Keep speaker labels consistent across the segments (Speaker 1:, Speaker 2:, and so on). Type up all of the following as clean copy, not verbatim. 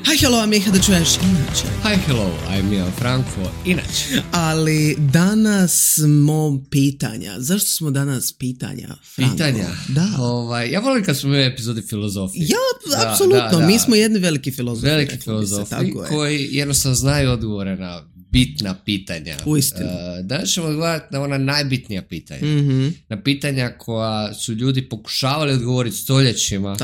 Speaker 1: Hi, hello, Miha, da čuješ inače.
Speaker 2: Hi, hello, I'm Ian Franko, inače.
Speaker 1: Ali danas smo pitanja. Zašto smo danas pitanja, Franko?
Speaker 2: Pitanja?
Speaker 1: Da.
Speaker 2: Ja volim kad smo imali epizode filozofije.
Speaker 1: Ja, apsolutno. Mi smo jedni veliki filozofi.
Speaker 2: Veliki filozofi koji jednostavno znaju odgovore na bitna pitanja.
Speaker 1: Uistinu.
Speaker 2: Danas ćemo odgovarati na ona najbitnija pitanja. Na pitanja koja su ljudi pokušavali odgovoriti stoljećima,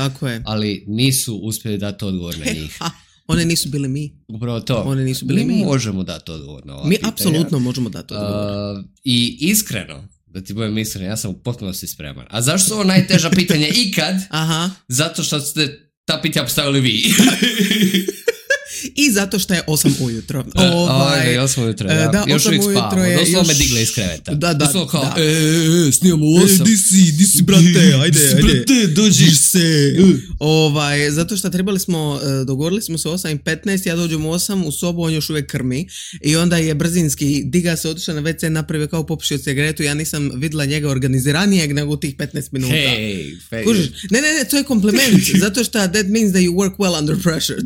Speaker 2: ali nisu uspjeli dati odgovor na njih.
Speaker 1: One nisu bili mi.
Speaker 2: Upravo to.
Speaker 1: One nisu bili mi.
Speaker 2: Možemo dati odgovor na ova
Speaker 1: mi
Speaker 2: pitanja.
Speaker 1: Apsolutno možemo dati odgovor.
Speaker 2: I iskreno, da ti budem iskren, ja sam u potpunosti spreman. A zašto su ovo najteža pitanja ikad?
Speaker 1: Aha.
Speaker 2: Zato što ste ta pitanja postavili vi.
Speaker 1: I zato što je 8 ujutro.
Speaker 2: 8 ujutro, ja.
Speaker 1: Da,
Speaker 2: još uvijek spavamo. Doslovno me digle iz kreveta. Doslovno kao, snijamo u 8.
Speaker 1: Di si, brate, ajde.
Speaker 2: Brate, dođi se.
Speaker 1: Zato što dogovorili smo se 8:15, ja dođem u 8 u sobu, on još uvijek krmi. I onda je brzinski, diga se, otišao na WC, napravio kao popušio cigaretu, ja nisam vidjela njega organiziranijeg nego u tih 15 minuta.
Speaker 2: Hey.
Speaker 1: Kužiš? Ne, to je kompliment, zato što that means that you work well under pressure.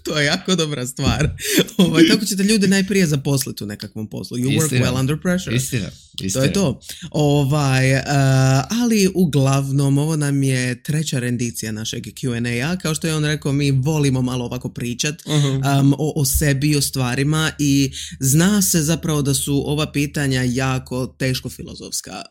Speaker 1: To je jako dobra stvar. Tako ćete ljudi najprije zaposliti u nekakvom poslu. You work well under pressure.
Speaker 2: Istina.
Speaker 1: To je to. Ali uglavnom ovo nam je treća rendicija našeg Q&A. Kao što je on rekao, mi volimo malo ovako pričat o sebi, o stvarima i zna se zapravo da su ova pitanja jako teško filozofska.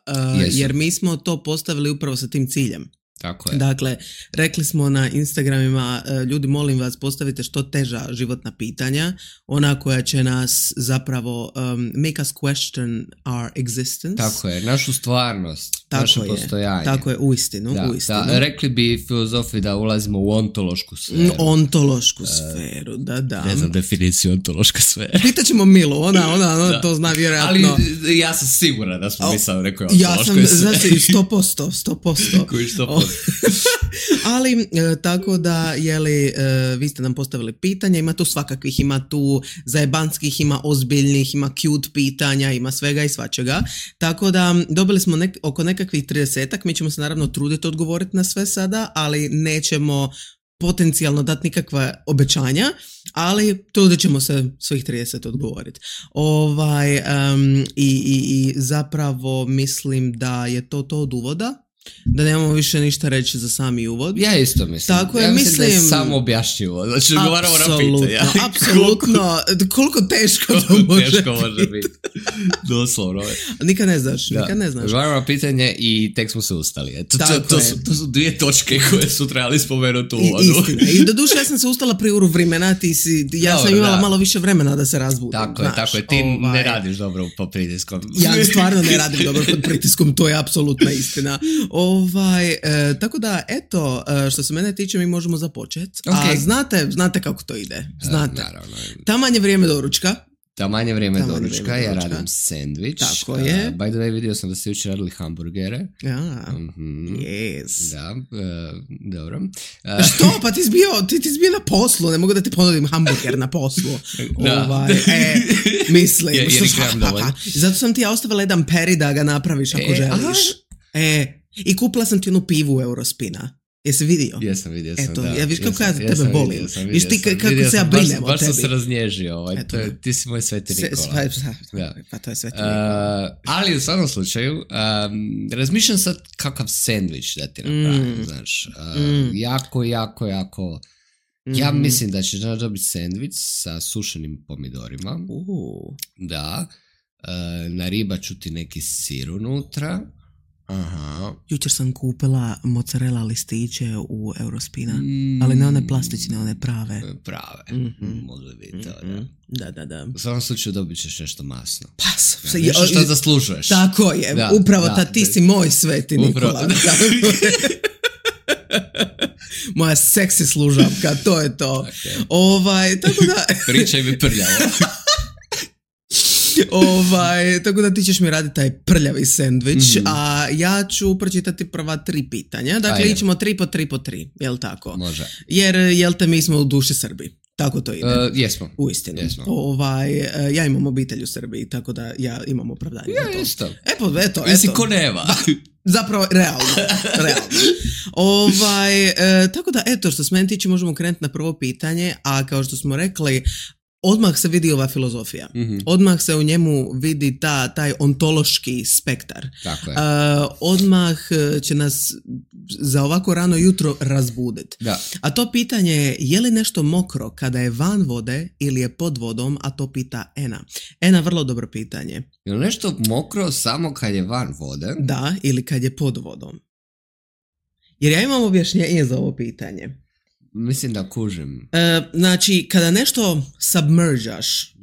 Speaker 1: Jer mi smo to postavili upravo sa tim ciljem.
Speaker 2: Tako je.
Speaker 1: Dakle, rekli smo na Instagramima, ljudi, molim vas, postavite što teža životna pitanja, ona koja će nas zapravo make us question our existence.
Speaker 2: Tako je, našu stvarnost, naše postojanje.
Speaker 1: Tako je, uistinu.
Speaker 2: Da, rekli bi filozofi da ulazimo u ontološku sferu.
Speaker 1: Ontološku sferu, da.
Speaker 2: Ne znam definiciju ontološka sfera.
Speaker 1: Pitaćemo Milu, ona to zna vjerojatno.
Speaker 2: Ali ja sam siguran da smo mislili rekao
Speaker 1: ontološkoj sferi. Ja sam, znači, 100%.
Speaker 2: Koji 100%.
Speaker 1: Ali, tako da, vi ste nam postavili pitanja, ima tu svakakvih, ima tu zajebanskih, ima ozbiljnih, ima cute pitanja, ima svega i svačega. Tako da, dobili smo oko nekakvih 30-ak, mi ćemo se naravno truditi odgovoriti na sve sada, ali nećemo potencijalno dati nikakva obećanja, ali trudit ćemo se svih 30 odgovoriti. I zapravo mislim da je to od uvoda. Da nemamo više ništa reći za sami uvod.
Speaker 2: Ja isto mislim.
Speaker 1: Tako je,
Speaker 2: mislim da je samo objašnjivo. Znači, odgovaramo na pitanja.
Speaker 1: Apsolutno. Koliko teško to može biti.
Speaker 2: Teško može biti. Doslovno.
Speaker 1: Nikad ne znaš.
Speaker 2: Odgovaramo na pitanje i tek smo se ustali. To su dvije točke koje su trebali spomenuti u uvodu.
Speaker 1: Istina. I doduše ja sam se ustala prije vremena. Ja sam imala malo više vremena da se razbudim.
Speaker 2: Tako je. Ti ne radiš dobro pod pritiskom.
Speaker 1: Ja stvarno ne radim dobro pod pritiskom. To je apsolutna istina. Tako da, eto, što se mene tiče, mi možemo započeti. A znate kako to ide. Znate.
Speaker 2: Naravno.
Speaker 1: Taman je vrijeme doručka.
Speaker 2: Ja radim sandvič.
Speaker 1: Tako je.
Speaker 2: By the way, vidio sam da ste jučer radili hamburgere.
Speaker 1: Yes.
Speaker 2: Da, dobro.
Speaker 1: Što? Pa ti si bio na poslu. Ne mogu da ti ponudim hamburger na poslu. Mislim. Zato sam ti ja ostavila jedan peri da ga napraviš ako želiš. I kupila sam ti jednu pivu Eurospina. Jesi vidio?
Speaker 2: Jesam vidio.
Speaker 1: Eto, ja viš kako ja tebe volim. Viš ti kako se ja brinem o tebi.
Speaker 2: Baš sam se raznježio. Ti si moj sveti Nikola.
Speaker 1: Pa to je sveti Nikola.
Speaker 2: Ali u svakom slučaju, razmišljam sad kakav sandvič da ti napravim, znaš. Jako. Ja mislim da ćeš dobiti sandvič sa sušenim pomidorima. Da. Na riba ću ti neki sir unutra. Aha.
Speaker 1: Jučer sam kupila mozzarella listiće u Eurospina, ali ne one plastične, one prave.
Speaker 2: Može biti to,
Speaker 1: Da.
Speaker 2: U svakom slučaju dobit ćeš nešto masno.
Speaker 1: Nešto
Speaker 2: što zaslužuješ.
Speaker 1: Tako je, upravo ti si moj sveti Nikola. Moja seksi služavka, to je to. Tako da...
Speaker 2: Pričaj mi prljavo.
Speaker 1: Tako da ti ćeš mi raditi taj prljavi sendvič, a ja ću pročitati prva 3 pitanja. Dakle, ićemo 3 po 3, jel tako?
Speaker 2: Može.
Speaker 1: Jer, jel te, mi smo u duši Srbi. Tako to ide.
Speaker 2: Jesmo.
Speaker 1: Uistinu. Ja imam obitelj u Srbiji, tako da ja imam opravdanje za to.
Speaker 2: Isto.
Speaker 1: Eto.
Speaker 2: Jesi ko nema.
Speaker 1: Zapravo, realno. Tako da, eto, što se meni tiče, možemo krenuti na prvo pitanje, a kao što smo rekli, odmah se vidi ova filozofija. Mm-hmm. Odmah se u njemu vidi taj ontološki spektar.
Speaker 2: Tako je.
Speaker 1: Odmah će nas za ovako rano jutro razbuditi.
Speaker 2: Da.
Speaker 1: A to pitanje je li nešto mokro kada je van vode ili je pod vodom, a to pita Ena. Ena, vrlo dobro pitanje.
Speaker 2: Je li nešto mokro samo kad je van vode?
Speaker 1: Da, ili kad je pod vodom. Jer ja imam objašnjenje za ovo pitanje.
Speaker 2: Mislim da kužim.
Speaker 1: Znači, kada nešto submergaš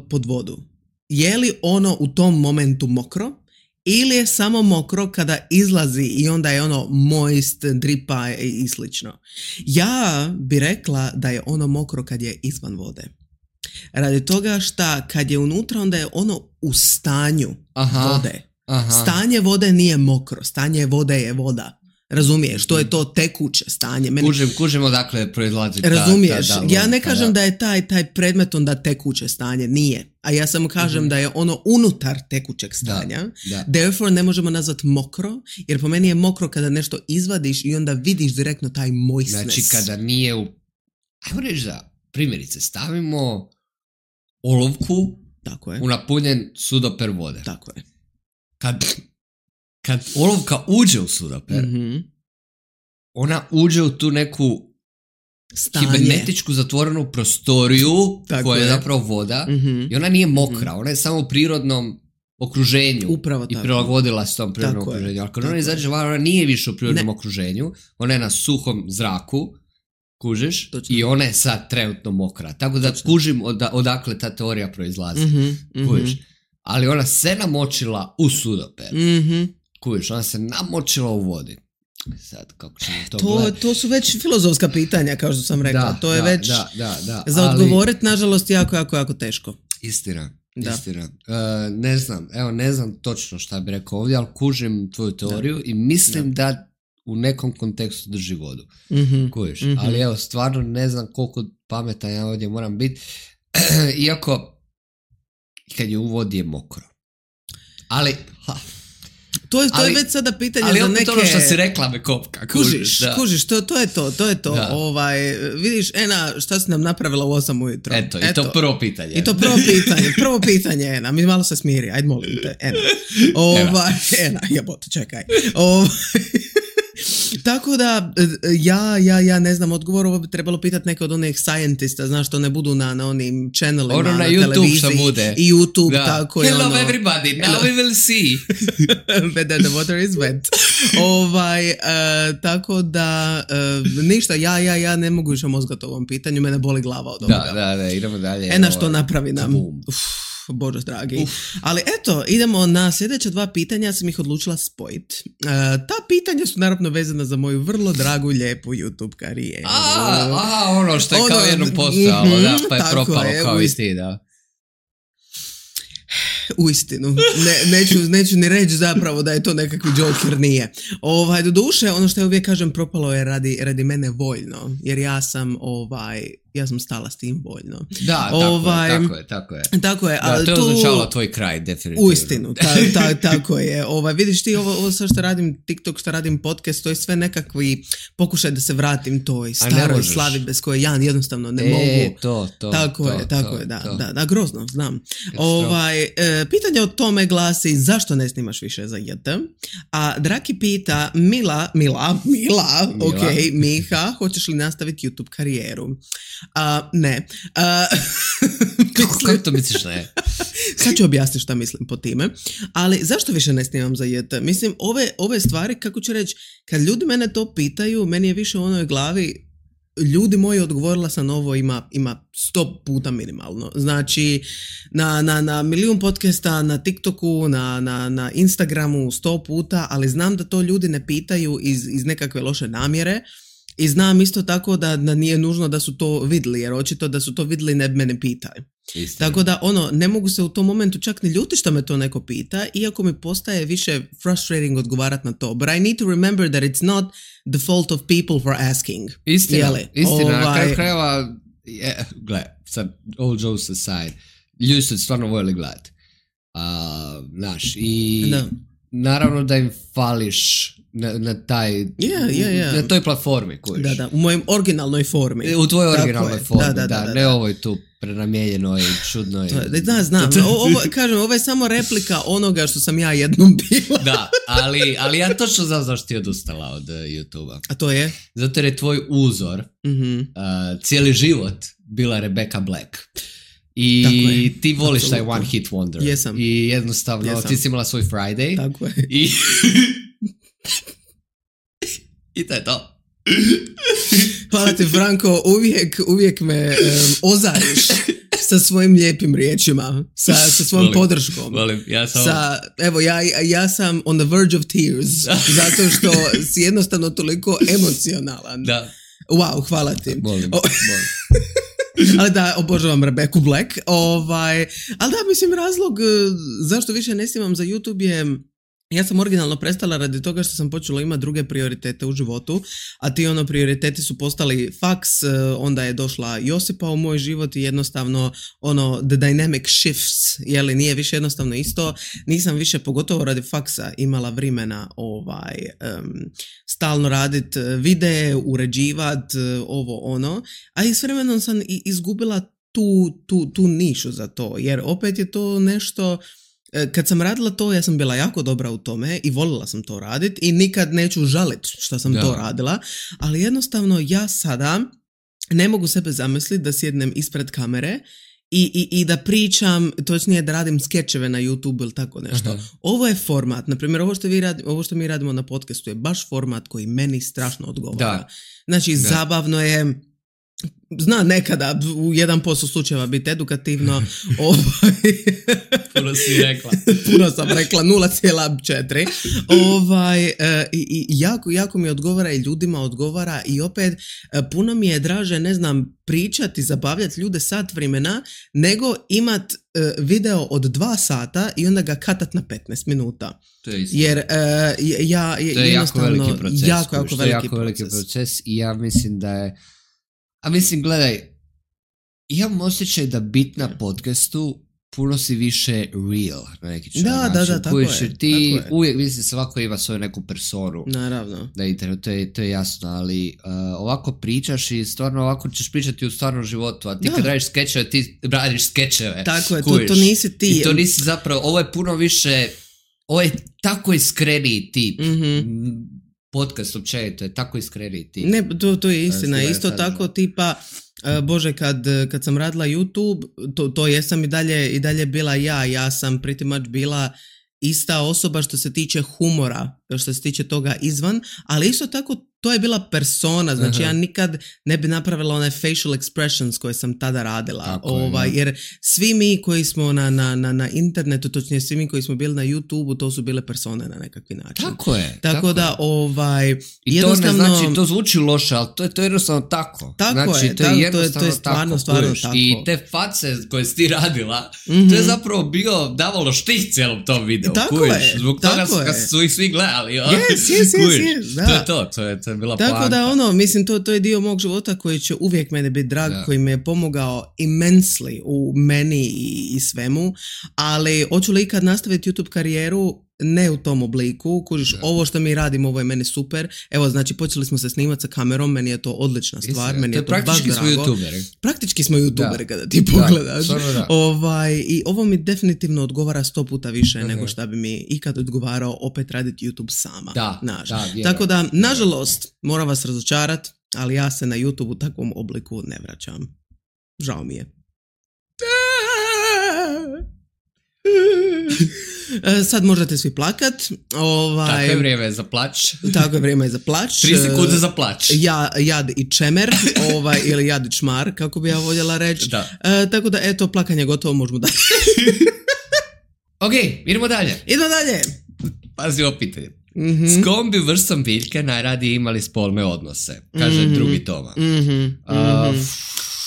Speaker 1: pod vodu, je li ono u tom momentu mokro ili je samo mokro kada izlazi i onda je ono moist, dripa i slično? Ja bi rekla da je ono mokro kad je izvan vode. Radi toga što kad je unutra, onda je ono u stanju vode. Aha. Stanje vode nije mokro, stanje vode je voda. Razumiješ, to je to tekuće stanje.
Speaker 2: Kužim odakle proizlazi.
Speaker 1: Razumiješ, ja ne kažem da je taj predmet onda tekuće stanje, nije. A ja samo kažem da je ono unutar tekućeg stanja. Therefore ne možemo nazvati mokro, jer po meni je mokro kada nešto izvadiš i onda vidiš direktno taj moistness.
Speaker 2: Znači kada nije ajmo reći da, primjerice, stavimo olovku u napunjen sudoper vode.
Speaker 1: Tako je.
Speaker 2: Kad olovka uđe u sudoper, ona uđe u tu neku kibernetičku zatvorenu prostoriju koja je zapravo voda i ona nije mokra, ona je samo u prirodnom okruženju i prilagodila se tom prirodnom okruženju. Ali kad ona izađe van, ona nije više u prirodnom okruženju, ona je na suhom zraku, kužiš, i ona je sad trenutno mokra. Tako da kužim odakle ta teorija proizlazi. Kužiš. Ali ona se namočila u sudoper. Kužiš, ona se namočila u vodi. Sad, kako ćemo
Speaker 1: to su već filozofska pitanja, kao što sam rekla. To je već za odgovoriti, nažalost, jako teško.
Speaker 2: Istina. Ne znam točno šta bi rekao ovdje, ali kužim tvoju teoriju i mislim da u nekom kontekstu drži vodu. Kužiš, ali evo, stvarno ne znam koliko pametan ja ovdje moram biti, iako kad je u vodi je mokro. Ali
Speaker 1: To je već sada pitanje za neke...
Speaker 2: Ali opet ono što si rekla me kopka.
Speaker 1: Kužiš, to je to. Vidiš, Ena, šta si nam napravila u 8 ujutro?
Speaker 2: Eto, i to prvo pitanje.
Speaker 1: Prvo pitanje, Ena, mi malo se smiri, ajde molim te, Ena. Ena, jebote, čekaj. Tako da, ja ne znam odgovor, ovo bi trebalo pitati neke od onih scientista, znaš, to ne budu na onim channelima, na televiziji i YouTube, tako je.
Speaker 2: Hello everybody, now we will see.
Speaker 1: Whether the water is wet. Tako da, ništa, ja ne mogu više mozgati o ovom pitanju, mene boli glava od ovoga.
Speaker 2: Da, idemo dalje.
Speaker 1: Ena što napravi nam. Bože dragi. Ali eto, idemo na sljedeća 2 pitanja, ja sam ih odlučila spojiti. Ta pitanja su naravno vezana za moju vrlo dragu, lijepu YouTube karijeru.
Speaker 2: Ono što je kao jednom postalo, pa je propalo kao i ti, da.
Speaker 1: Uistinu, neću ni reći zapravo da je to nekakvi Joker, nije. Do duše, ono što ja uvijek kažem, propalo je radi mene voljno, jer ja sam stala s tim voljno.
Speaker 2: Da, tako je.
Speaker 1: Ali
Speaker 2: to je označavalo tvoj kraj, definitivno.
Speaker 1: Uistinu, tako je. Vidiš ti, ovo sve što radim, TikTok, što radim podcast, to je sve nekakvi pokušaj da se vratim toj staroj slavi bez koje ja jednostavno ne mogu. Tako je, da, grozno, znam. Pitanje o tome glasi, zašto ne snimaš više za JT? A Draki pita, Mila, Miha, hoćeš li nastaviti YouTube karijeru? Ne.
Speaker 2: Kako to misliš ne?
Speaker 1: Sad ću objasniti šta mislim po time. Ali zašto više ne snimam za JT? Mislim, ove stvari, kako ću reći, kad ljudi mene to pitaju, meni je više u onoj glavi, ljudi moji, odgovorila sam ovo, ima 100 puta minimalno. Znači, na milijun podcasta, na TikToku, na Instagramu 100 puta, ali znam da to ljudi ne pitaju iz nekakve loše namjere. I znam isto tako da nije nužno da su to vidjeli, jer očito da su to vidjeli ne bi mene pitali. Tako da, ne mogu se u tom momentu čak ni ljuti što me to neko pita, iako mi postaje više frustrating odgovarati na to. But I need to remember that it's not the fault of people for asking.
Speaker 2: Istina. Na kraju krajeva, gle, sad, all jokes aside, ljudi su stvarno voljeli gledati. Znaš, i naravno da im fališ na taj, na toj platformi kojiš.
Speaker 1: Da, u mojem originalnoj formi.
Speaker 2: U tvojoj originalnoj formi, da, ne ovoj tu prenamijenjenoj, čudnoj.
Speaker 1: Znam, ovo je samo replika onoga što sam ja jednom bila.
Speaker 2: Da, ali ja točno znam zašto ti odustala od YouTube-a.
Speaker 1: A to je?
Speaker 2: Zato jer je tvoj uzor, cijeli život, bila Rebecca Black. I ti voliš absolutno taj one hit wonder.
Speaker 1: Jesam.
Speaker 2: I jednostavno ti si imala svoj Friday.
Speaker 1: Tako je.
Speaker 2: I to je to.
Speaker 1: Hvala ti, Franko, uvijek me ozariš sa svojim lijepim riječima, sa svojom podrškom.
Speaker 2: Volim, ja sam...
Speaker 1: Evo, ja sam on the verge of tears, zato što si jednostavno toliko emocionalan.
Speaker 2: Da.
Speaker 1: Wow, hvala ti.
Speaker 2: Volim.
Speaker 1: Ali da, obožavam Rebecca Black. Ali da, mislim, razlog zašto više ne snimam za YouTube je, ja sam originalno prestala radi toga što sam počela imati druge prioritete u životu, a ti prioriteti su postali faks, onda je došla Josipa u moj život i jednostavno the dynamic shifts, jeli, nije više jednostavno isto, nisam više, pogotovo radi faksa, imala vremena stalno radit videe, uređivat, a i s vremenom sam izgubila tu nišu za to, jer opet je to nešto. Kad sam radila to, ja sam bila jako dobra u tome i volila sam to raditi i nikad neću žaliti što sam to radila, ali jednostavno ja sada ne mogu sebe zamisliti da sjednem ispred kamere i da pričam, točnije da radim skečeve na YouTube ili tako nešto. Aha. Ovo je format, na primjer ovo što mi radimo na podcastu je baš format koji meni strašno odgovara. Da. Znači zabavno je, zna nekada u 1% slučajeva biti edukativno.
Speaker 2: Puno si rekla.
Speaker 1: Puno sam rekla, 0,4. I jako mi odgovara i ljudima odgovara i opet puno mi je draže, ne znam, pričati, zabavljati ljude sat vremena, nego imat video od 2 sata i onda ga katat na 15 minuta.
Speaker 2: To je istina.
Speaker 1: Jer
Speaker 2: to je jako veliki proces.
Speaker 1: Jako
Speaker 2: veliki proces i ja mislim da je. A mislim, gledaj, imam osjećaj da bit na podcastu puno si više real na neki način.
Speaker 1: Da, tako je.
Speaker 2: Ti uvijek, mislim, svako ima svoju neku personu.
Speaker 1: Naravno.
Speaker 2: Na internetu, to je jasno, ali ovako pričaš i stvarno ovako ćeš pričati u stvarnom životu, a ti kad radiš skečeve, ti radiš skečeve.
Speaker 1: Tako je, to nisi ti.
Speaker 2: I to nisi zapravo, ovo je puno više, ovo je tako iskreniji tip. Podcast općenito je tako iskreniji tip.
Speaker 1: Ne, to je istina. Isto tako tipa, Bože, kad sam radila YouTube, to jesam i dalje bila ja sam pretty much bila ista osoba što se tiče humora, što se tiče toga izvan, ali isto tako to je bila persona, znači ja nikad ne bi napravila one facial expressions koje sam tada radila, jer svi mi koji smo na internetu, točnije svi mi koji smo bili na YouTube-u, to su bile persone na nekakvi način. Tako da
Speaker 2: i jednostavno, to ne znači, to zvuči loše, ali to je jednostavno tako. Znači, to je jednostavno stvarno tako. I te face koje si ti radila, to je zapravo davalo štih cijelom tom videu. Zbog toga su ih svi gledali.
Speaker 1: Yes, da.
Speaker 2: To je bila
Speaker 1: tako
Speaker 2: poanta.
Speaker 1: Da mislim to je dio mog života koji će uvijek mene biti drag, koji me je pomogao immensely u meni i svemu, ali hoću li ikad nastaviti YouTube karijeru? Ne u tom obliku, kužiš, ovo što mi radimo, ovo je meni super. Evo, znači, počeli smo se snimati sa kamerom, meni je to odlična stvar, meni je to baš drago. Praktički smo youtuberi kada ti pogledaš. I ovo mi definitivno odgovara 100 puta više nego što bi mi ikad odgovarao opet raditi YouTube sama. Tako da, nažalost, moram vas razočarati, ali ja se na YouTube u takvom obliku ne vraćam. Žao mi je. Sad možete svi plakat.
Speaker 2: Tako je vrijeme za plać.
Speaker 1: 3
Speaker 2: sekunde za plać.
Speaker 1: Jad i čemer, ili jad i čmar, kako bi ja voljela reći. Tako da, eto, plakanje gotovo, možemo dalje.
Speaker 2: Ok, idemo dalje. Pazi ovo pitanje. S kojom bi vrstom biljke najradije imali spolne odnose? Kaže drugi Toma.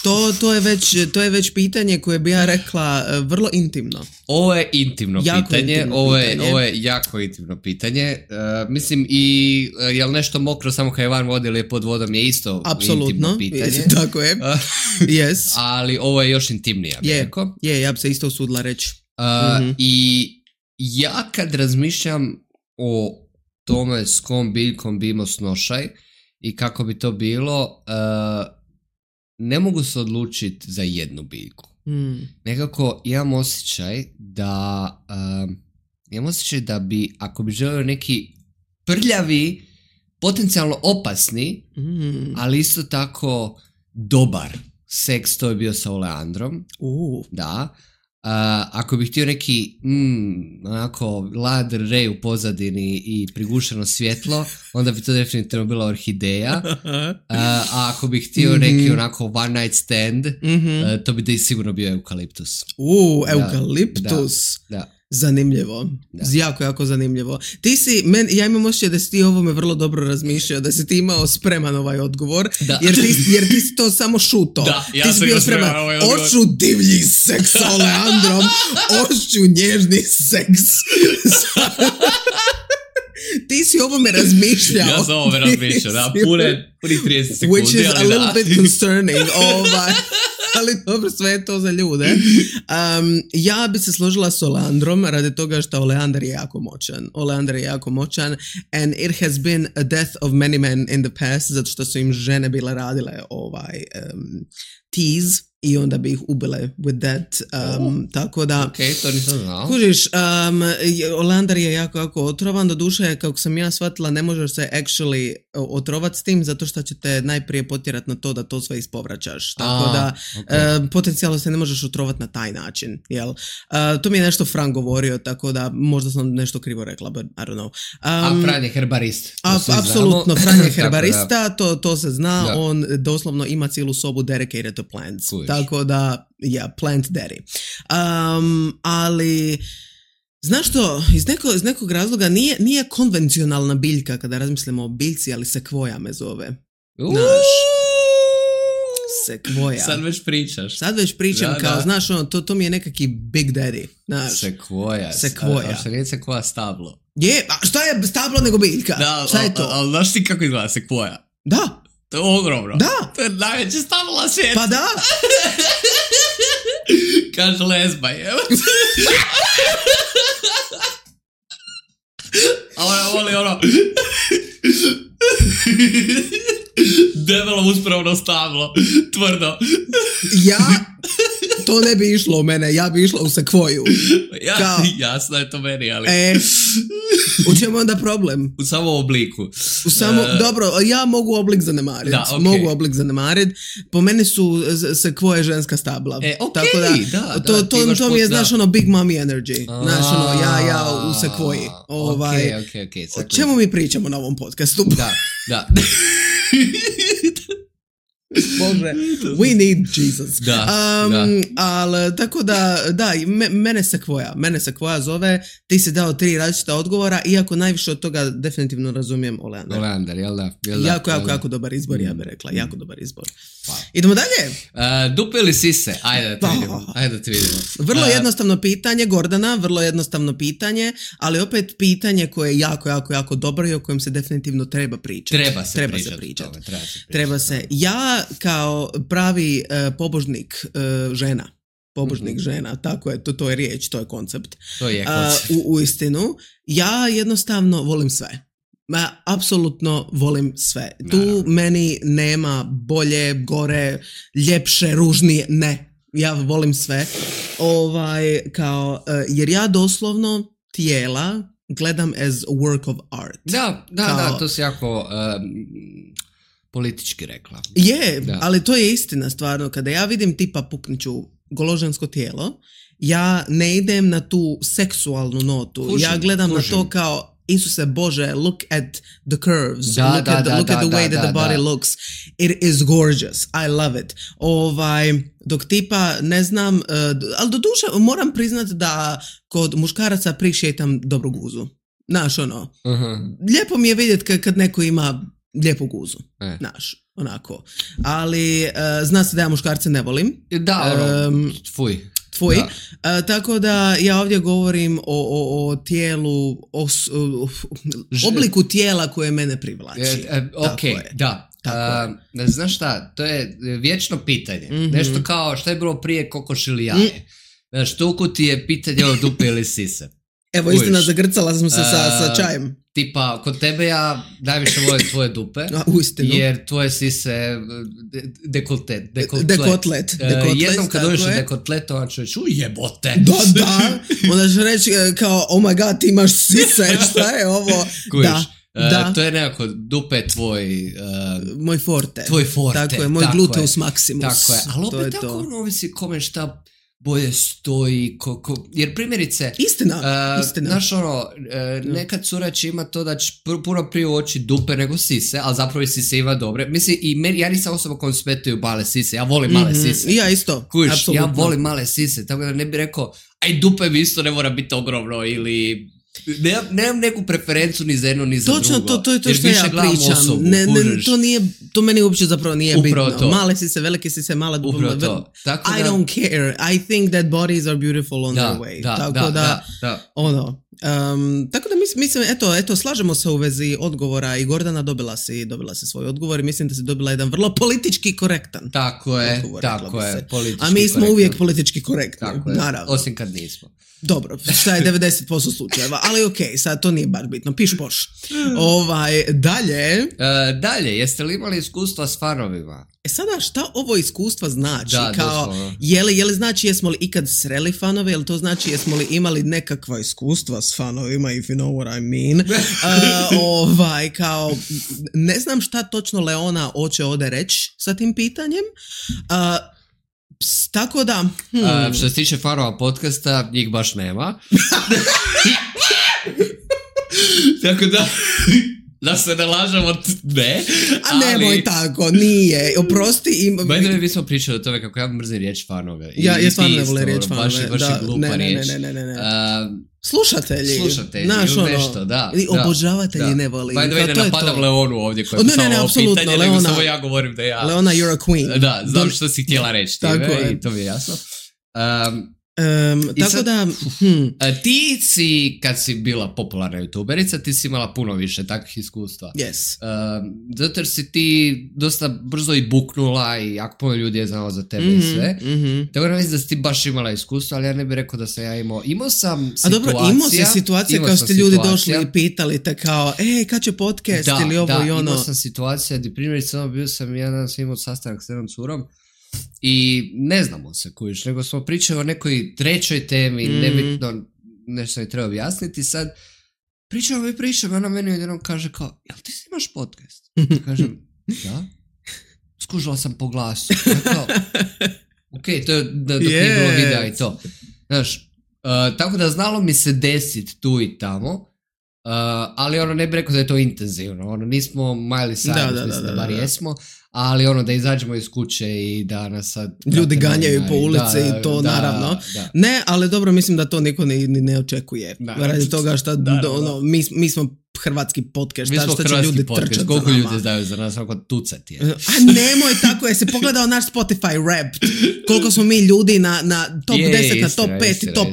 Speaker 1: To je već pitanje koje bi ja rekla vrlo intimno.
Speaker 2: Ovo je intimno pitanje. Ovo je jako intimno pitanje. Mislim i jel nešto mokro samo kad je van vode ili je pod vodom je isto intimno pitanje.
Speaker 1: Tako je. Yes.
Speaker 2: Ali ovo je još intimnije, ja bih rekao.
Speaker 1: Ja bi se isto usudila reći.
Speaker 2: I ja kad razmišljam o tome s kom biljkom bi imao snošaj i kako bi to bilo, ne mogu se odlučiti za jednu biljku. Nekako imam osjećaj da bi, ako bi želio neki prljavi, potencijalno opasni, ali isto tako dobar seks, to je bio sa oleandrom. Da. Ako bih htio neki onako lad rej u pozadini i prigušeno svjetlo, onda bi to definitivno bila orhideja. A ako bih htio neki onako one night stand, to bi da sigurno bio eukaliptus.
Speaker 1: Eukaliptus.
Speaker 2: Da.
Speaker 1: Zanimljivo. Jako, jako zanimljivo. Ja imam osjećaj da si ti ovome vrlo dobro razmišljao, da si ti imao spreman ovaj odgovor, jer ti si to samo šuto.
Speaker 2: Da, ja
Speaker 1: ti si bio spreman. Oću divlji seks sa oleandrom, oću nježni seks. Ti si ovome razmišljao.
Speaker 2: Ja sam ovome razmišljao, da, puni 30 sekundi.
Speaker 1: Which is a little bit concerning. Ali dobro, sve je to za ljude. Ja bi se složila s oleandrom radi toga što oleandar je jako moćan. And it has been a death of many men in the past, zato što su im žene bile radile tease i onda bi ih ubile with that. Tako da...
Speaker 2: Ok, to nisam znao.
Speaker 1: Kužiš, oleandar je jako, jako otrovan. Doduše, kako sam ja shvatila, ne možeš se actually otrovat s tim, zato što će te najprije potjerat na to da to sve ispovraćaš. Tako da, potencijalno se ne možeš otrovat na taj način. Jel? To mi je nešto Frank govorio, tako da možda sam nešto krivo rekla, but I don't know.
Speaker 2: A Fran je herbarist.
Speaker 1: Apsolutno, Fran je herbarista, to se zna. Da. On doslovno ima cijelu sobu dedicated to plants. Tako da, plant daddy. Ali, znaš što, iz nekog razloga nije konvencionalna biljka kada razmislimo o biljci, ali sekvoja me zove. Sekvoja.
Speaker 2: Sad već pričaš.
Speaker 1: Sad već pričam kao, znaš, to mi je nekaki big daddy. Znaš.
Speaker 2: Sekvoja. A što nije sekvoja stablo?
Speaker 1: Je, a šta je stablo nego biljka?
Speaker 2: Da,
Speaker 1: šta je to?
Speaker 2: Ali znaš ti kako izgleda sekvoja?
Speaker 1: Da.
Speaker 2: To je ogromno.
Speaker 1: Da.
Speaker 2: To je najveće stablo na svijetu.
Speaker 1: Pa da.
Speaker 2: Kaže lesba, evo. A ona voli ono... debelo uspravno stablo. Tvrdo.
Speaker 1: To ne bi išlo u mene, ja bi išla u sekvoju.
Speaker 2: Jasno je to meni, ali...
Speaker 1: U čemu onda problem?
Speaker 2: U samom obliku.
Speaker 1: Dobro, ja mogu oblik zanemariti.
Speaker 2: Da, okay.
Speaker 1: Mogu oblik zanemariti. Po meni su sekvoje ženska stabla. Tako da, to mi je, znaš, ono, big mommy energy. Znaš, ono, ja u sekvoji.
Speaker 2: Okay,
Speaker 1: o čemu mi pričamo na ovom podcastu?
Speaker 2: Da.
Speaker 1: Bože, we need Jesus. Ali tako da, mene sekvoja zove, ti si dao 3 različita odgovora, iako najviše od toga definitivno razumijem oleandar.
Speaker 2: Oleandar, jel da?
Speaker 1: Jako dobar izbor, ja bih rekla, jako dobar izbor. Idemo dalje.
Speaker 2: Dupe ili sise? Ajde da te vidimo.
Speaker 1: Vrlo jednostavno pitanje, Gordana, vrlo jednostavno pitanje, ali opet pitanje koje je jako, jako, jako dobro i o kojem se definitivno treba pričati. Treba se. Ja kao pravi pobožnik žena, žena, tako je, to je riječ, to je koncept.
Speaker 2: To je koncept.
Speaker 1: U istinu, ja jednostavno volim sve. Apsolutno volim sve. Tu meni nema bolje, gore, ljepše, ružnije, ne. Ja volim sve. Jer ja doslovno tijela gledam as a work of art.
Speaker 2: Da, to si jako... politički rekla.
Speaker 1: Ali to je istina stvarno. Kada ja vidim tipa pukniću goložensko tijelo, ja ne idem na tu seksualnu notu. Ja gledam na to kao Isuse Bože, look at the curves. Look at the way that the body looks. It is gorgeous. I love it. Dok tipa, ne znam, ali doduše moram priznat da kod muškaraca prišetam dobru guzu. Znaš, ono. Lijepo mi je vidjeti kad neko ima lijepu guzu. Znaš. onako. Ali zna se da ja muškarce ne volim.
Speaker 2: Da, tvoj.
Speaker 1: Tako da ja ovdje govorim o tijelu, obliku tijela koje mene privlači.
Speaker 2: Ok, da. Znaš šta, to je vječno pitanje. Nešto kao šta je bilo prije, kokoš ili jaje. Znaš, toliko ti je pitanje o dupe ili sise.
Speaker 1: Evo, istina, zagrcala sam se sa čajem.
Speaker 2: Tipa, kod tebe ja najviše volim tvoje dupe. Jer tvoje sise dekotlet. Jednom kad dođeš u dekotletova čovječ, jebote.
Speaker 1: Da. Onda ću reći kao, oh my god, ti imaš sise, šta je ovo?
Speaker 2: Kujiš. To je nekako dupe tvoj...
Speaker 1: moj forte.
Speaker 2: Tvoj forte.
Speaker 1: Tako je, moj gluteus maximus.
Speaker 2: Tako je, ali opet tako ovisi kome šta bolje stoji, jer primjerice...
Speaker 1: Istina.
Speaker 2: Znaš nekad cura će ima to da će puno prije oči dupe nego sise, ali zapravo i sise ima dobre. Mislim, ja nisam osoba kojom smetaju male sise, ja volim male sise.
Speaker 1: Ja isto,
Speaker 2: kužiš,
Speaker 1: apsolutno.
Speaker 2: Ja volim male sise, tako da ne bi rekao, aj dupe mi isto ne mora biti ogromno ili... Nemam neku preferencu ni za jedno ni za
Speaker 1: točno,
Speaker 2: drugo.
Speaker 1: to je to što ja pričam. Osobu, to meni uopće zapravo nije upravo bitno. To. Male sise, velike sise, mala dupe. I don't care. I think that bodies are beautiful on their way. Tako da. Tako da mislim, eto, slažemo se u vezi odgovora i Gordana dobila si svoj odgovor i mislim da si dobila jedan vrlo politički korektan.
Speaker 2: Tako je.
Speaker 1: A mi smo uvijek politički korektni. Naravno.
Speaker 2: Osim kad nismo.
Speaker 1: Dobro, šta je 90% slučajeva, ali okej, sad to nije baš bitno, piš poš.
Speaker 2: Dalje, jeste li imali iskustva s fanovima?
Speaker 1: Sada, šta ovo iskustva znači? Kao, je li znači jesmo li ikad sreli fanove, ili to znači jesmo li imali nekakva iskustva s fanovima, if you know what I mean? Kao, ne znam šta točno Leona hoće ovdje reći sa tim pitanjem. Tako da...
Speaker 2: Što se tiče fanova podcasta, njih baš nema. Tako da se ne lažemo, ne.
Speaker 1: A nemoj tako, nije. Oprosti.
Speaker 2: Bajde mi smo pričali o tome kako ja mrzim riječ fanove.
Speaker 1: Ja stvarno ne volim riječ fanove.
Speaker 2: Baš je glupa riječ.
Speaker 1: Ne. Slušatelji,
Speaker 2: nešto, da.
Speaker 1: Obožavatelji ne voli.
Speaker 2: Bajde ne napadam Leonu ovdje koja je pisala ovo pitanje, nego samo ja govorim da ja...
Speaker 1: Leona, you're a queen.
Speaker 2: Da, znam što si htjela reći time i to mi je jasno.
Speaker 1: Tako da...
Speaker 2: Ti si, kad si bila popularna youtuberica, ti si imala puno više takvih iskustva.
Speaker 1: Yes.
Speaker 2: Zato jer si ti dosta brzo i buknula i jako puno ljudi je znalo za tebe i sve. Tako da mislim da si ti baš imala iskustva, ali ja ne bih rekao da sam ja imao. Imao sam situacija... A dobro, imao si situacija kao ste ljudi došli i pitali te kao, kad će podcast ili ovo i ono. Da, imao sam situacija gdje primjerice bio sam jedan sam imao sastanak s jednom curom i ne znamo se kujiš, nego smo pričali o nekoj trećoj temi, nebitno, nešto mi treba objasniti. Sad, pričamo, ona meni jednom kaže kao, jel ti snimaš podcast? Kažem, da. Skužila sam po glasu. Kao, ok, to je dok nije bilo videa i to. Znaš, tako da znalo mi se desit tu i tamo, ali ne bi rekao da je to intenzivno. Nismo Miley Cyrus, mislim da bar jesmo. Ali da izađemo iz kuće i da nas sad...
Speaker 1: Ljudi ganjaju po ulici i to naravno. Da. Ne, ali dobro, mislim da to niko ne očekuje. Radi toga što mi smo hrvatski podcast.
Speaker 2: Mi smo hrvatski podcast. Koliko ljudi znaju za nas, oko tucat je.
Speaker 1: A nemoj tako, jesi pogledao naš Spotify rap. Koliko smo mi ljudi na top 10, na top 5 i top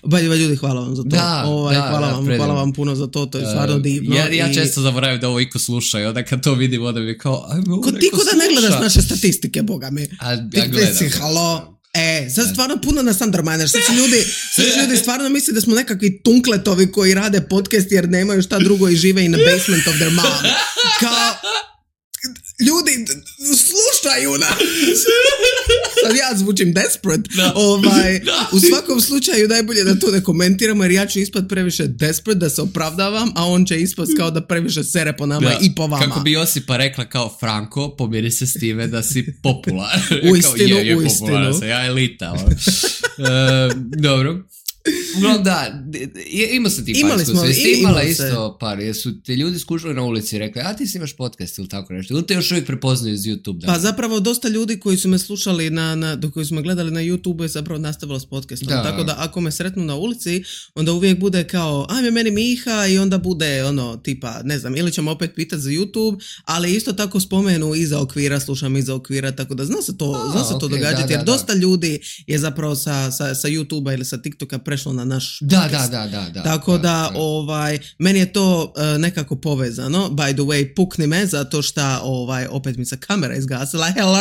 Speaker 1: 1. Ljudi, hvala vam za to. Hvala vam puno za to, to je stvarno divno.
Speaker 2: Ja često zaboravim da ovo iko sluša i onda kad to vidim, onda mi kao...
Speaker 1: Ti ko da ne gledaš naše statistike, boga mi.
Speaker 2: Ja gledam.
Speaker 1: Halo. Sad stvarno puno nas underminer. Sad ljudi stvarno misle da smo nekakvi tunkletovi koji rade podcast jer nemaju šta drugo i žive in the basement of their mom. Kao... Ljudi, slušaju nas! Sad ja zvučim desperate. U svakom slučaju najbolje da to ne komentiramo jer ja ću ispad previše desperate da se opravdavam, a on će ispast kao da previše sere po nama i po vama.
Speaker 2: Kako bi Josipa rekla kao Franko, pomiri se s time da si popularan.
Speaker 1: Uistinu.
Speaker 2: Ja elita. Dobro. Uglavnom da, imao sam ti par iskustva. Jesi ti imala isto par? Jesu te ljudi skušali na ulici i rekli, a ti si imaš podcast ili tako nešto? Ili te još uvijek prepoznaju iz YouTube? Da?
Speaker 1: Pa zapravo dosta ljudi koji su me slušali, koji su me gledali na YouTube je zapravo nastavilo s podcastom. Da. Tako da ako me sretnu na ulici, onda uvijek bude kao, ajme meni Miha i onda bude tipa, ne znam, ili ćemo opet pitati za YouTube, ali isto tako spomenu iza okvira, slušam iza okvira, tako da zna se to događati, jer dosta ljudi je zapravo sa YouTubea ili sa TikToka prešlo na naš podcast.
Speaker 2: Da.
Speaker 1: Tako da, meni je to nekako povezano. By the way, pukni me zato što opet mi se kamera izgasila. Hello!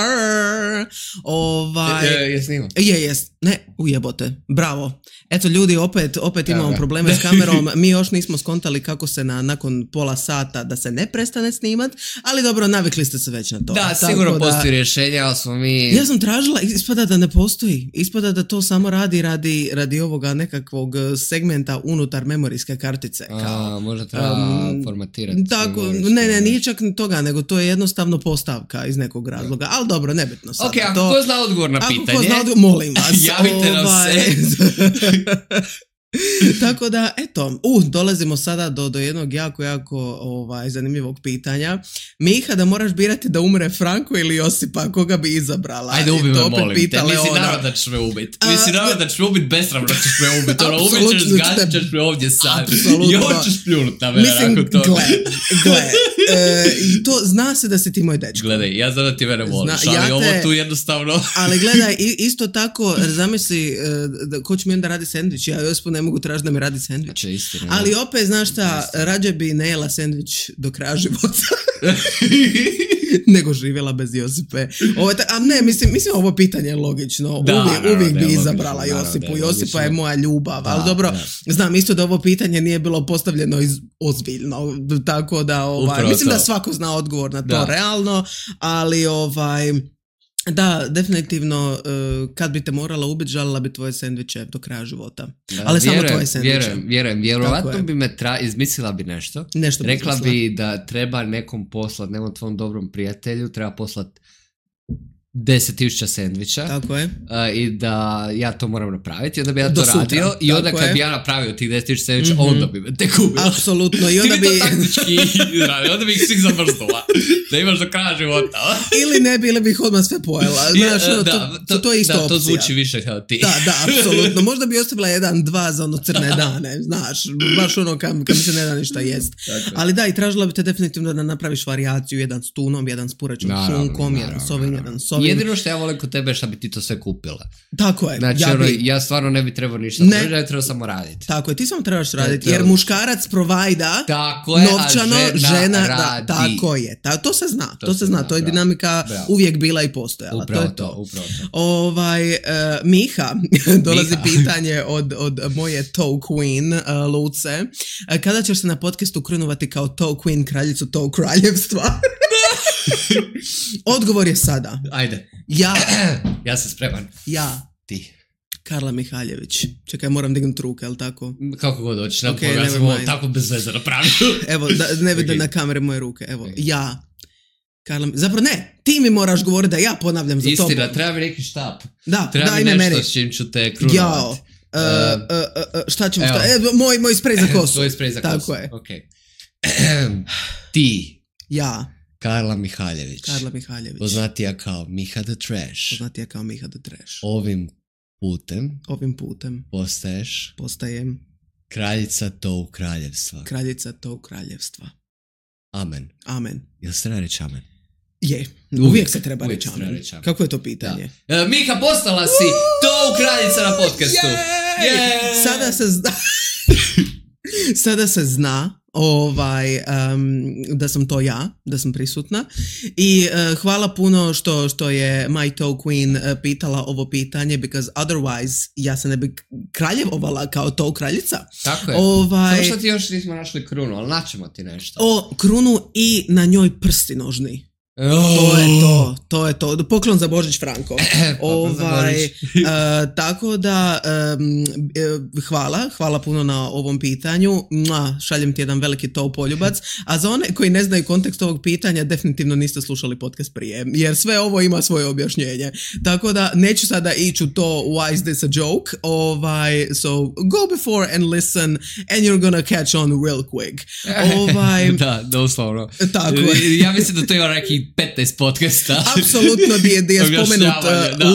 Speaker 2: Je snimao?
Speaker 1: Jes. Ne, ujebote. Bravo. Eto ljudi, opet imamo probleme s kamerom. Mi još nismo skontali kako se nakon pola sata da se ne prestane snimat, ali dobro, navikli ste se već na to.
Speaker 2: Da, sigurno postoji rješenje, ali smo mi...
Speaker 1: Ja sam tražila, ispada da ne postoji. Ispada da to samo radi ovoga nekakvog segmenta unutar memorijske kartice.
Speaker 2: Možda treba formatirati.
Speaker 1: Tako, ne, nije čak ni toga, nego to je jednostavno postavka iz nekog razloga. Ali dobro, nebitno sad.
Speaker 2: Ok, ako ko zna odgovor na pitanje,
Speaker 1: molim vas.
Speaker 2: Javite nam se.
Speaker 1: Tako da, eto, dolazimo sada do jednog jako zanimljivog pitanja. Miha, da moraš birati da umre Franko ili Josipa, koga bi izabrala?
Speaker 2: Ajde, ubi me, molim te. Mislim, naravno da ćeš me ubiti. Naravno da ćeš me ubiti, besramno ćeš me ubiti. Ubit ćeš, zgazit ćeš me ovdje sad. I ovo ćeš pljunut na mene.
Speaker 1: Mislim, gle. I to zna se da si ti moj dečko.
Speaker 2: Gledaj, ja znam da ti mene voliš, ali ovo tu jednostavno...
Speaker 1: Ali gledaj, isto tako, zamisli, ko će mi onda radi sendvič? Ja Josipu ne mogu tražiti da mi radi sendvič. Ali opet, znaš šta, rađe bi ne jela sendvič do kraja života. Nego živjela bez Josipe. Mislim, ovo pitanje je logično. Uvijek bi izabrala Josipu. Josipa je moja ljubav. Ali dobro, znam isto da ovo pitanje nije bilo postavljeno ozbiljno. Tako da, mislim da svako zna odgovor na to realno, ali da, definitivno, kad bi te morala ubiti, žalila bi tvoje sendviče do kraja života. Ali samo tvoje sendviče.
Speaker 2: Vjerujem. Vjerovatno bi me izmislila bi nešto. Rekla bi da treba nekom poslat, nekom tvom dobrom prijatelju, treba poslat 10,000 sendviča.
Speaker 1: Tako je.
Speaker 2: I da ja to moram napraviti. Onda bi ja to radio. I onda kad bi ja napravio tih 10,000 sendviča, onda bi me tek ubila.
Speaker 1: Apsolutno. I onda
Speaker 2: bi... to taktički radio. Onda bi ih svih zamrznula. Da imaš do kraja života.
Speaker 1: Ili ne bi, ili bi ih odmah sve pojela. Znaš, to je isto opcija.
Speaker 2: To zvuči više kao ti.
Speaker 1: Da, apsolutno. Možda bi ostavila 1-2 za crne dane. Znaš, baš kam mi se ne da ništa jest. Ali da, i tražila bi te definitivno da napraviš varijaciju, jedan s tunom, jedan s purećom šunkom, jedan s ovim, jedan s ovim.
Speaker 2: Jedino što ja volim kod tebe je što bi ti to sve kupila.
Speaker 1: Tako je.
Speaker 2: Znači, ja stvarno ne bi trebao ništa. Ja trebao samo raditi.
Speaker 1: Tako je, ti samo trebaš raditi. Jer muškarac provajda novčano, žena radi. Tako je. To se zna. To se zna. To je dinamika uvijek bila i postojala.
Speaker 2: Upravo
Speaker 1: to. Miha, dolazi pitanje od moje toe queen, Luce. Kada ćeš se na podcastu krunovati kao toe queen, kraljicu toe kraljevstva? Odgovor je sada.
Speaker 2: Ajde. Ja sam spreman. Ti.
Speaker 1: Karla Mihaljević. Čekaj, moram dignuti ruke, jel tako?
Speaker 2: Kako god hoćeš, ja sam ovo tako bez veze napravio.
Speaker 1: Evo, ne vide na kamere moje ruke. Evo, ja. Karla, zapravo ne, ti mi moraš govoriti da ja ponavljam za tobom.
Speaker 2: Istina, treba mi neki štap.
Speaker 1: Da,
Speaker 2: treba
Speaker 1: daj
Speaker 2: mi nešto
Speaker 1: meni.
Speaker 2: S čim ću te krunovati.
Speaker 1: Šta ćemo staviti? Moj sprej za kosu.
Speaker 2: Tvoj sprej za kosu.
Speaker 1: Tako je.
Speaker 2: Okay. Ti.
Speaker 1: Ja.
Speaker 2: Karla Mihaljević. Poznatija kao Miha the Trash. Ovim putem.
Speaker 1: Postajem.
Speaker 2: Kraljica tog kraljevstva. Amen. Jel se treba reći amen?
Speaker 1: Je. Uvijek se treba reći amen. Kako je to pitanje?
Speaker 2: Miha, postala si tog kraljica na podcastu.
Speaker 1: Sada se zna da sam to ja, da sam prisutna i hvala puno što je My Toe Queen pitala ovo pitanje, because otherwise ja se ne bi kraljevovala kao toe kraljica.
Speaker 2: Tako je. Samo što ti još nismo našli krunu, ali naćemo ti nešto.
Speaker 1: Krunu i na njoj prsti nožni. To je to. Poklon za Božić, Franko. Tako da, hvala puno na ovom pitanju. Šaljem ti jedan veliki poljubac. A za one koji ne znaju kontekst ovog pitanja, definitivno niste slušali podcast prije, jer sve ovo ima svoje objašnjenje. Tako da, neću sada ići u to why is this a joke. So, go before and listen and you're gonna catch on real quick.
Speaker 2: Da, doslovno.
Speaker 1: Tako je.
Speaker 2: Ja mislim da to ima neki 15 podcasta.
Speaker 1: Apsolutno gdje je spomenut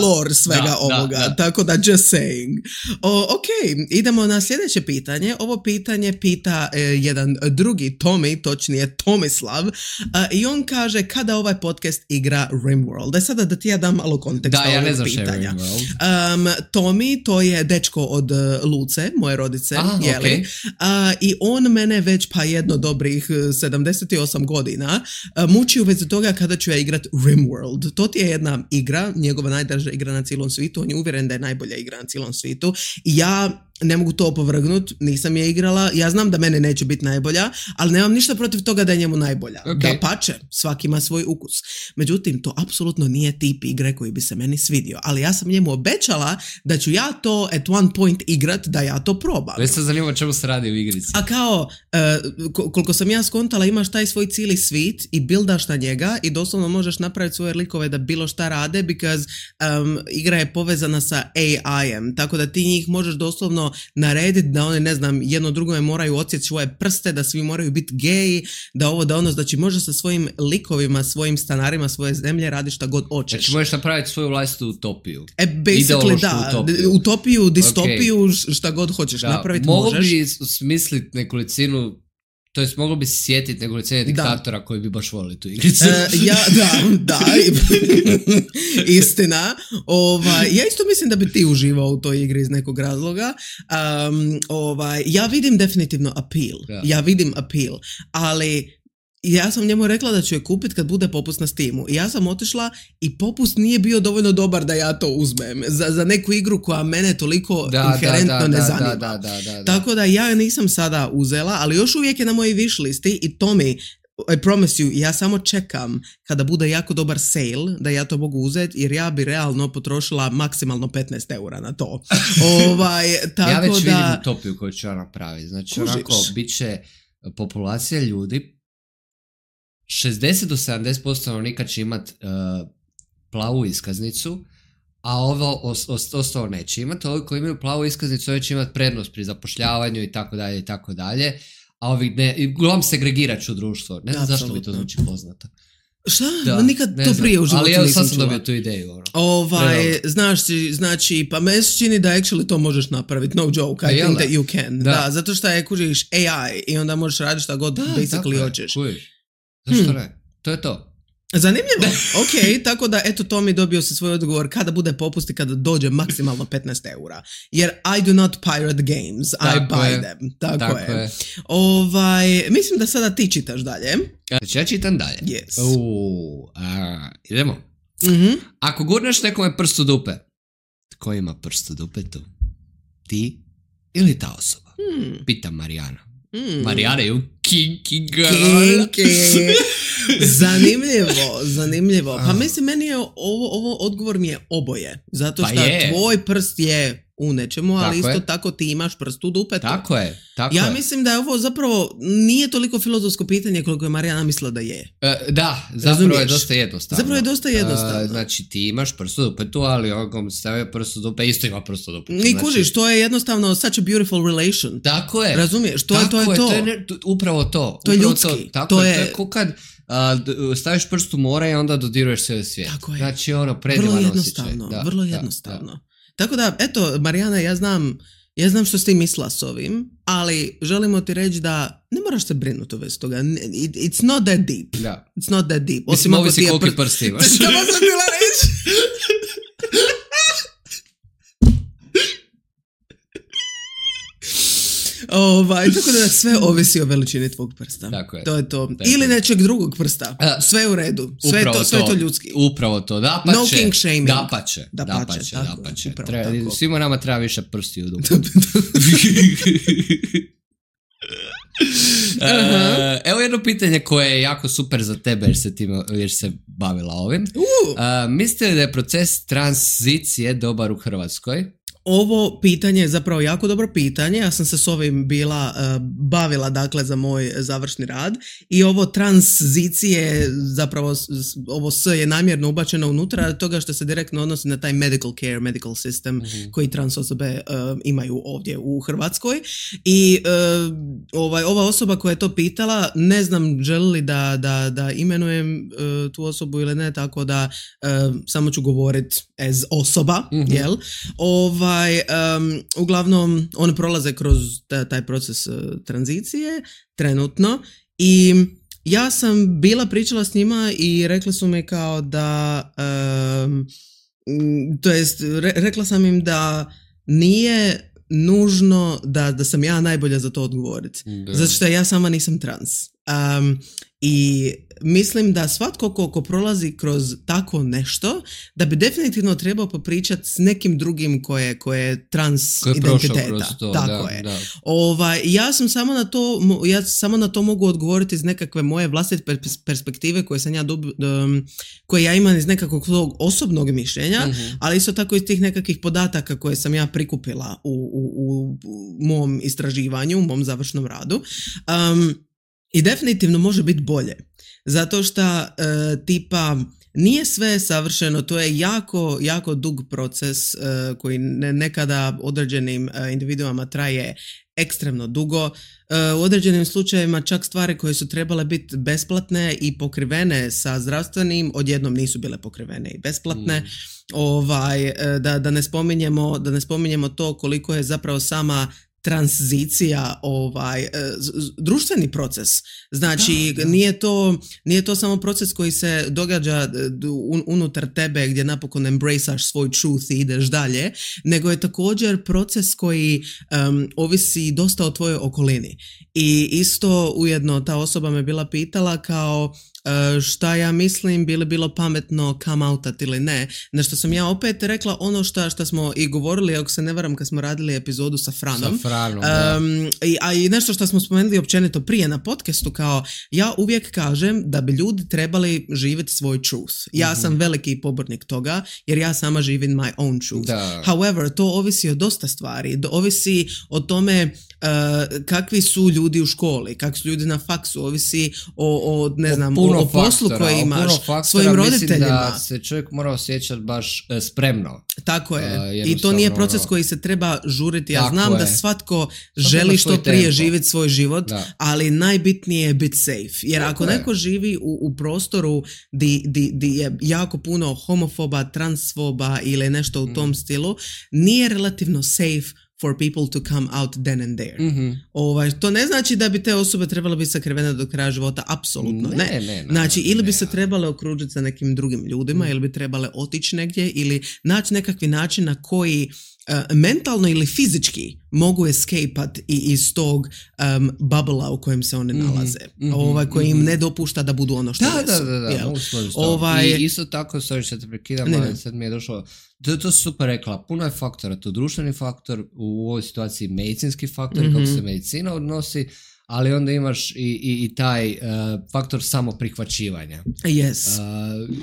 Speaker 1: lore svega ovoga. Da. Tako da, just saying. Ok, idemo na sljedeće pitanje. Ovo pitanje pita jedan drugi Tomi, točnije Tomislav, i on kaže kada ovaj podcast igra Rimworld. Sada da ti ja dam malo konteksta ovog pitanja. Tomi, to je dečko od Luce, moje rodice, jeli? Okay. I on mene već jedno dobrih 78 godina muči u vezi toga kada ću ja igrat Rimworld. To ti je jedna igra, njegova najdraža igra na cijelom svijetu, on je uvjeren da je najbolja igra na cijelom svijetu i ja ne mogu to opovrgnut, nisam je igrala, ja znam da mene neće biti najbolja, ali nemam ništa protiv toga da je njemu najbolja. Okay. Dapače, svaki ima svoj ukus. Međutim, to apsolutno nije tip igre koji bi se meni svidio, ali ja sam njemu obećala da ću ja to at one point igrat, da ja to probam.
Speaker 2: Već se zanima čemu se radi u igrici.
Speaker 1: A kao, koliko sam ja skontala, imaš taj svoj cijeli svit i buildaš na njega i doslovno možeš napraviti svoje likove da bilo šta rade, because igra je povezana sa AI-em, tako da ti njih možeš doslovno narediti da oni, ne znam, jedno drugome moraju odsjeći svoje prste, da svi moraju biti geji, da ovo, da ono, znači možeš sa svojim likovima, svojim stanarima, svoje zemlje radiš šta god hoćeš.
Speaker 2: Znači možeš napraviti svoju vlastitu utopiju.
Speaker 1: Basically da, utopiju, distopiju, šta god hoćeš napraviti možeš.
Speaker 2: Mogu bi smisliti nekolicinu, to jest moglo bi se sjetiti nekolicine diktatora koji bi baš volili tu igricu.
Speaker 1: Da. Istina. Ja isto mislim da bi ti uživao u toj igri iz nekog razloga. Ja vidim definitivno appeal. Ja vidim appeal. Ali ja sam njemu rekla da ću je kupiti kad bude popust na Steamu. I ja sam otišla i popust nije bio dovoljno dobar da ja to uzmem. Za neku igru koja mene toliko inherentno ne zanima. Da. Tako da ja nisam sada uzela, ali još uvijek je na mojoj wish listi i Tomi, I promise you, ja samo čekam kada bude jako dobar sale da ja to mogu uzeti, jer ja bi realno potrošila maksimalno 15 eura na to. Tako
Speaker 2: ja već
Speaker 1: da
Speaker 2: vidim utopiju koju ću napraviti. Znači, onako, bit će populacija ljudi, 60 do 70% stanovnika će imat plavu iskaznicu, a ovo ostalo neće imati. Ovi koji imaju plavu iskaznicu, ovi će imati prednost pri zapošljavanju i tako dalje i tako dalje. A ovi ne, uglavnom segregirat ću društvo. Ne znam zašto mi to zvuči poznato.
Speaker 1: Šta? Nikad to prije u životu nisam čula.
Speaker 2: Ali sad sam dobio tu ideju.
Speaker 1: Znači, pa me se čini da actually to možeš napraviti. No joke, I think that you can. Da, zato što je kužiš AI i onda možeš raditi šta god basically hoćeš.
Speaker 2: Zašto ne? To je to.
Speaker 1: Zanimljivo. Ok, tako da eto Tomi dobio se svoj odgovor kada bude popust i kada dođe maksimalno 15 eura. Jer I do not pirate games, I buy them. Tako je. Mislim da sada ti čitaš dalje.
Speaker 2: Znači ja čitam dalje.
Speaker 1: Yes.
Speaker 2: Idemo. Mm-hmm. Ako gurneš nekome prst u dupe, tko ima prst u dupetu? Ti ili ta osoba? Pita Marijana. Marijana je u kinky girl.
Speaker 1: Zanimljivo. Pa mislim, meni je ovo odgovor mi je oboje. Zato što tvoj prst je u nečemu, ali isto tako ti imaš prst u dupetu.
Speaker 2: Tako je.
Speaker 1: Ja mislim da je ovo zapravo nije toliko filozofsko pitanje koliko je Marijana mislila da je.
Speaker 2: Zapravo je dosta jednostavno.
Speaker 1: Znači
Speaker 2: ti imaš prst u dupetu, ali on stavio prst u dupe, isto ima prst u dupetu.
Speaker 1: I kužiš, to je jednostavno such a beautiful relation.
Speaker 2: Tako je.
Speaker 1: Razumiješ, to je to.
Speaker 2: Upravo to.
Speaker 1: To je ljudski.
Speaker 2: To je ko kad staviš prst u more i onda dodiruješ sve svijet.
Speaker 1: Tako je.
Speaker 2: Znači predivan osjećaj.
Speaker 1: Vrlo jednostavno. Tako da, eto, Marijana, ja znam što si ti mislila s ovim, ali želimo ti reći da ne moraš se brinuti u vezi toga. It's not that deep.
Speaker 2: Da.
Speaker 1: It's not that deep.
Speaker 2: Mislim, ovisi koliki prst imaš.
Speaker 1: Što sam bila reći? Tako da sve ovisi o veličini tvog prsta.
Speaker 2: Tako je.
Speaker 1: To je to. Ili nečeg drugog prsta. Sve je u redu. Sve je to ljudski.
Speaker 2: Upravo to. Dapače.
Speaker 1: No king shaming.
Speaker 2: Dapače. Svima nama treba više prsti u dupu. Evo jedno pitanje koje je jako super za tebe jer se bavila ovim. Mislite li da je proces tranzicije dobar u Hrvatskoj?
Speaker 1: Ovo pitanje je zapravo jako dobro pitanje. Ja sam se s ovim bavila dakle za moj završni rad i ovo tranzicije zapravo ovo S je namjerno ubačeno unutra toga što se direktno odnosi na taj medical care, medical system koji trans osobe imaju ovdje u Hrvatskoj i ova osoba koja je to pitala, ne znam želi li da imenujem tu osobu ili ne, tako da samo ću govoriti as osoba, jel? Uglavnom, one prolaze kroz taj proces tranzicije trenutno i ja sam bila pričala s njima i rekli su mi kao da to jest rekla sam im da nije nužno da sam ja najbolja za to odgovoriti. Zato što ja sama nisam trans. I mislim da svatko ko prolazi kroz tako nešto, da bi definitivno trebao popričati s nekim drugim koje je trans identiteta. Tako je. Da. Ja samo na to mogu odgovoriti iz nekakve moje vlastite perspektive koje ja imam iz nekakvog svog osobnog mišljenja, ali isto tako iz tih nekakvih podataka koje sam ja prikupila u mom istraživanju, u mom završnom radu. I definitivno može biti bolje. Zato što tipa nije sve savršeno, to je jako, jako dug proces koji nekada određenim individuama traje ekstremno dugo. U određenim slučajevima čak stvari koje su trebale biti besplatne i pokrivene sa zdravstvenim odjednom nisu bile pokrivene i besplatne. Da ne spominjemo to koliko je zapravo sama tranzicija društveni proces. Znači nije to samo proces koji se događa unutar tebe gdje napokon embraceaš svoj truth i ideš dalje, nego je također proces koji ovisi dosta o tvojoj okolini. I isto ujedno ta osoba me bila pitala kao šta ja mislim, bi li bilo pametno come outat ili ne, na što sam ja opet rekla ono što smo i govorili, ako se ne varam kad smo radili epizodu sa Franom, i nešto što smo spomenuli općenito prije na podcastu, kao ja uvijek kažem da bi ljudi trebali živjeti svoj truth. Ja sam veliki pobornik toga jer ja sama živim my own truth. However, to ovisi o dosta stvari, ovisi o tome kakvi su ljudi u školi, kakvi su ljudi na faksu, ovisi o ne znam, o poslu koji imaš, svojim roditeljima. Mislim da
Speaker 2: se čovjek mora osjećati baš spremno.
Speaker 1: Tako je. I to nije proces koji se treba žuriti. Ja znam da svatko želi što prije živjeti svoj život, ali najbitnije je biti safe. Jer ako neko živi u prostoru di je jako puno homofoba, transfoba ili nešto u tom stilu, nije relativno safe for people to come out then and there. To ne znači da bi te osobe trebale biti sakrivene do kraja života, apsolutno ne. Znači, ili bi se trebale okružiti sa nekim drugim ljudima, ili bi trebale otići negdje, ili naći nekakvi način na koji mentalno ili fizički mogu escapat iz tog bubble-a u kojem se one nalaze. Koji im ne dopušta da budu ono što jesu.
Speaker 2: Da. I isto tako, sorry što te prekidam, ali sad mi je došlo, to si super rekla, puno je faktora, to društveni faktor, u ovoj situaciji medicinski faktor, kako se medicina odnosi, ali onda imaš i taj faktor samoprihvaćivanja.
Speaker 1: Yes.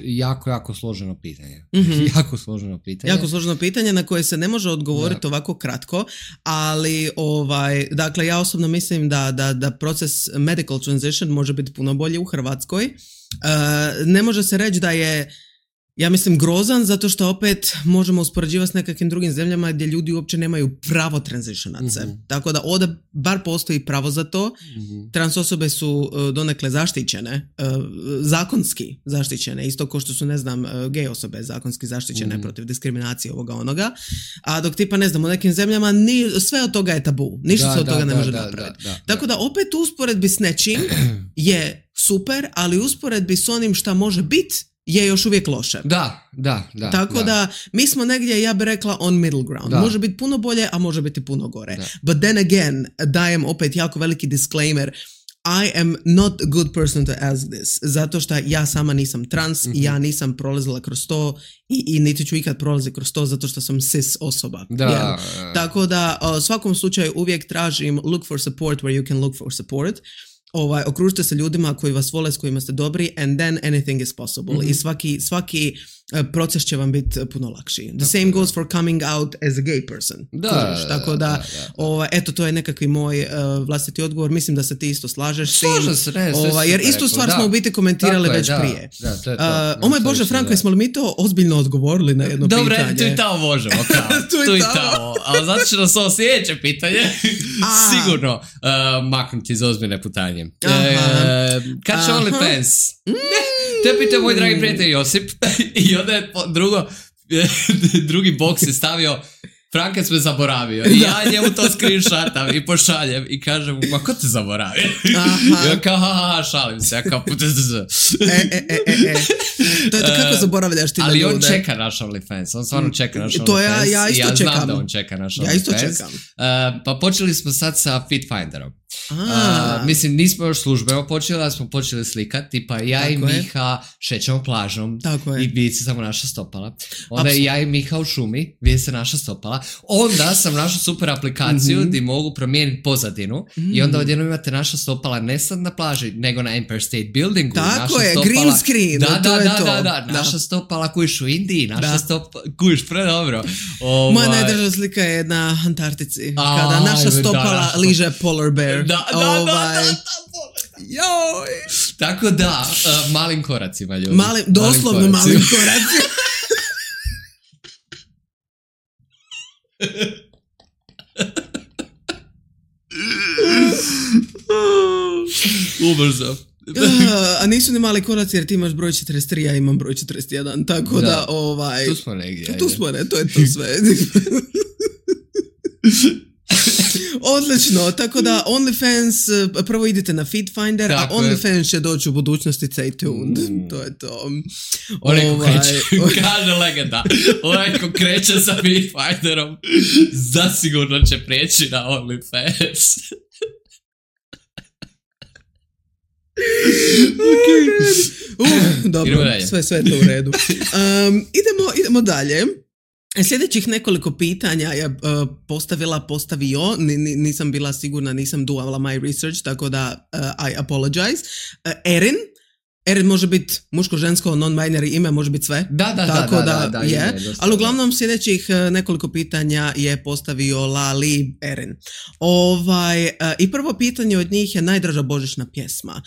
Speaker 2: Jako složeno pitanje. Jako složeno pitanje
Speaker 1: na koje se ne može odgovoriti ovako kratko, ali dakle ja osobno mislim da proces medical transition može biti puno bolji u Hrvatskoj. Ne može se reći da je, ja mislim, grozan, zato što opet možemo uspoređivati s nekakvim drugim zemljama gdje ljudi uopće nemaju pravo transitionat se. Tako da ovdje bar postoji pravo za to. Trans osobe su donekle zaštićene, zakonski zaštićene, isto kao što su, ne znam, gej osobe zakonski zaštićene protiv diskriminacije ovoga onoga. A dok tipa, ne znam, u nekim zemljama sve od toga je tabu. Ništa se od toga ne može napraviti. Tako da opet usporedbi s nečim je super, ali usporedbi s onim šta može biti je još uvijek loše.
Speaker 2: Da.
Speaker 1: Tako da mi smo negdje, ja bih rekla, on middle ground. Može biti puno bolje, a može biti puno gore. But then again, dajem opet jako veliki disclaimer, I am not a good person to ask this, zato što ja sama nisam trans, ja nisam prolazila kroz to i niti ću ikad prolaziti kroz to zato što sam cis osoba.
Speaker 2: Da.
Speaker 1: Tako da u svakom slučaju uvijek tražim look for support where you can look for support. Okružite se ljudima koji vas vole, s kojima ste dobri, and then anything is possible. I svaki proces će vam biti puno lakši. The same goes for coming out as a gay person. Tako da. Eto, to je nekakvi moj vlastiti odgovor. Mislim da se ti isto slažeš s tim. Jer istu stvar smo u biti komentirali već prije. O moj Bože, Franko, jesmo li mi to ozbiljno odgovorili na jedno pitanje?
Speaker 2: Dobre, tu i tamo možemo. Tu i tamo. Ali zato će nas ovo sljedeće pitanje sigurno maknuti iz ozbiljne putanje. Kad će OnlyFans? To je pitao moj dragi prijatelj Josip i onda je drugi boks je stavio Franka me zaboravio i ja njemu to screenshotam i pošaljem i kažem mu, ma ko te zaboravio? I on kao, šalim se, ja kao
Speaker 1: To je to kako zaboravljaš ti na ljude.
Speaker 2: Ali on čeka naš OnlyFans, on stvarno čeka naš OnlyFans.
Speaker 1: To ja isto čekam.
Speaker 2: Znam da on čeka naš OnlyFans.
Speaker 1: Ja isto čekam.
Speaker 2: Pa počeli smo sad sa Fitfinderom. Mislim, nismo još službeno počeli, ali smo počeli slikati, tipa ja i Miha šećemo plažom i vidi se samo naša stopala. Onda ja i Miha u šumi, vidi se naša stopala. Onda sam našao super aplikaciju gdje mogu promijeniti pozadinu i onda odjednom imate naša stopala ne sad na plaži, nego na Empire State Buildingu.
Speaker 1: Tako je, green screen.
Speaker 2: Da, naša stopala kujiš u Indiji, naša stopala kujiš predobro.
Speaker 1: Moja najdraža slika je na Antarktici, kada naša stopala liže polar bear.
Speaker 2: Da. Joj. Tako da, malim koracima, ljudi.
Speaker 1: Doslovno malim koracima.
Speaker 2: Ubrzo.
Speaker 1: A nisu ni mali koraci jer ti imaš broj 43, ja imam broj 41, tako da
Speaker 2: Tu smo negdje.
Speaker 1: Tu smo, to je to sve. Odlično, tako da OnlyFans, prvo idite na Fitfinder, a OnlyFans će doći u budućnosti, stay tuned. To je to.
Speaker 2: Onaj ko kreće, kaže legenda, onaj ko kreće sa Fitfinderom, zasigurno će prijeći na OnlyFans.
Speaker 1: Dobro, sve to u redu. Idemo dalje. Sljedećih nekoliko pitanja je postavio, nisam bila sigurna, nisam doala my research, tako da I apologize. Erin može biti muško, žensko, non-binary ime, može biti sve. Da, je. Ali uglavnom sljedećih nekoliko pitanja je postavio Lali Erin. I prvo pitanje od njih je najdraža božićna pjesma.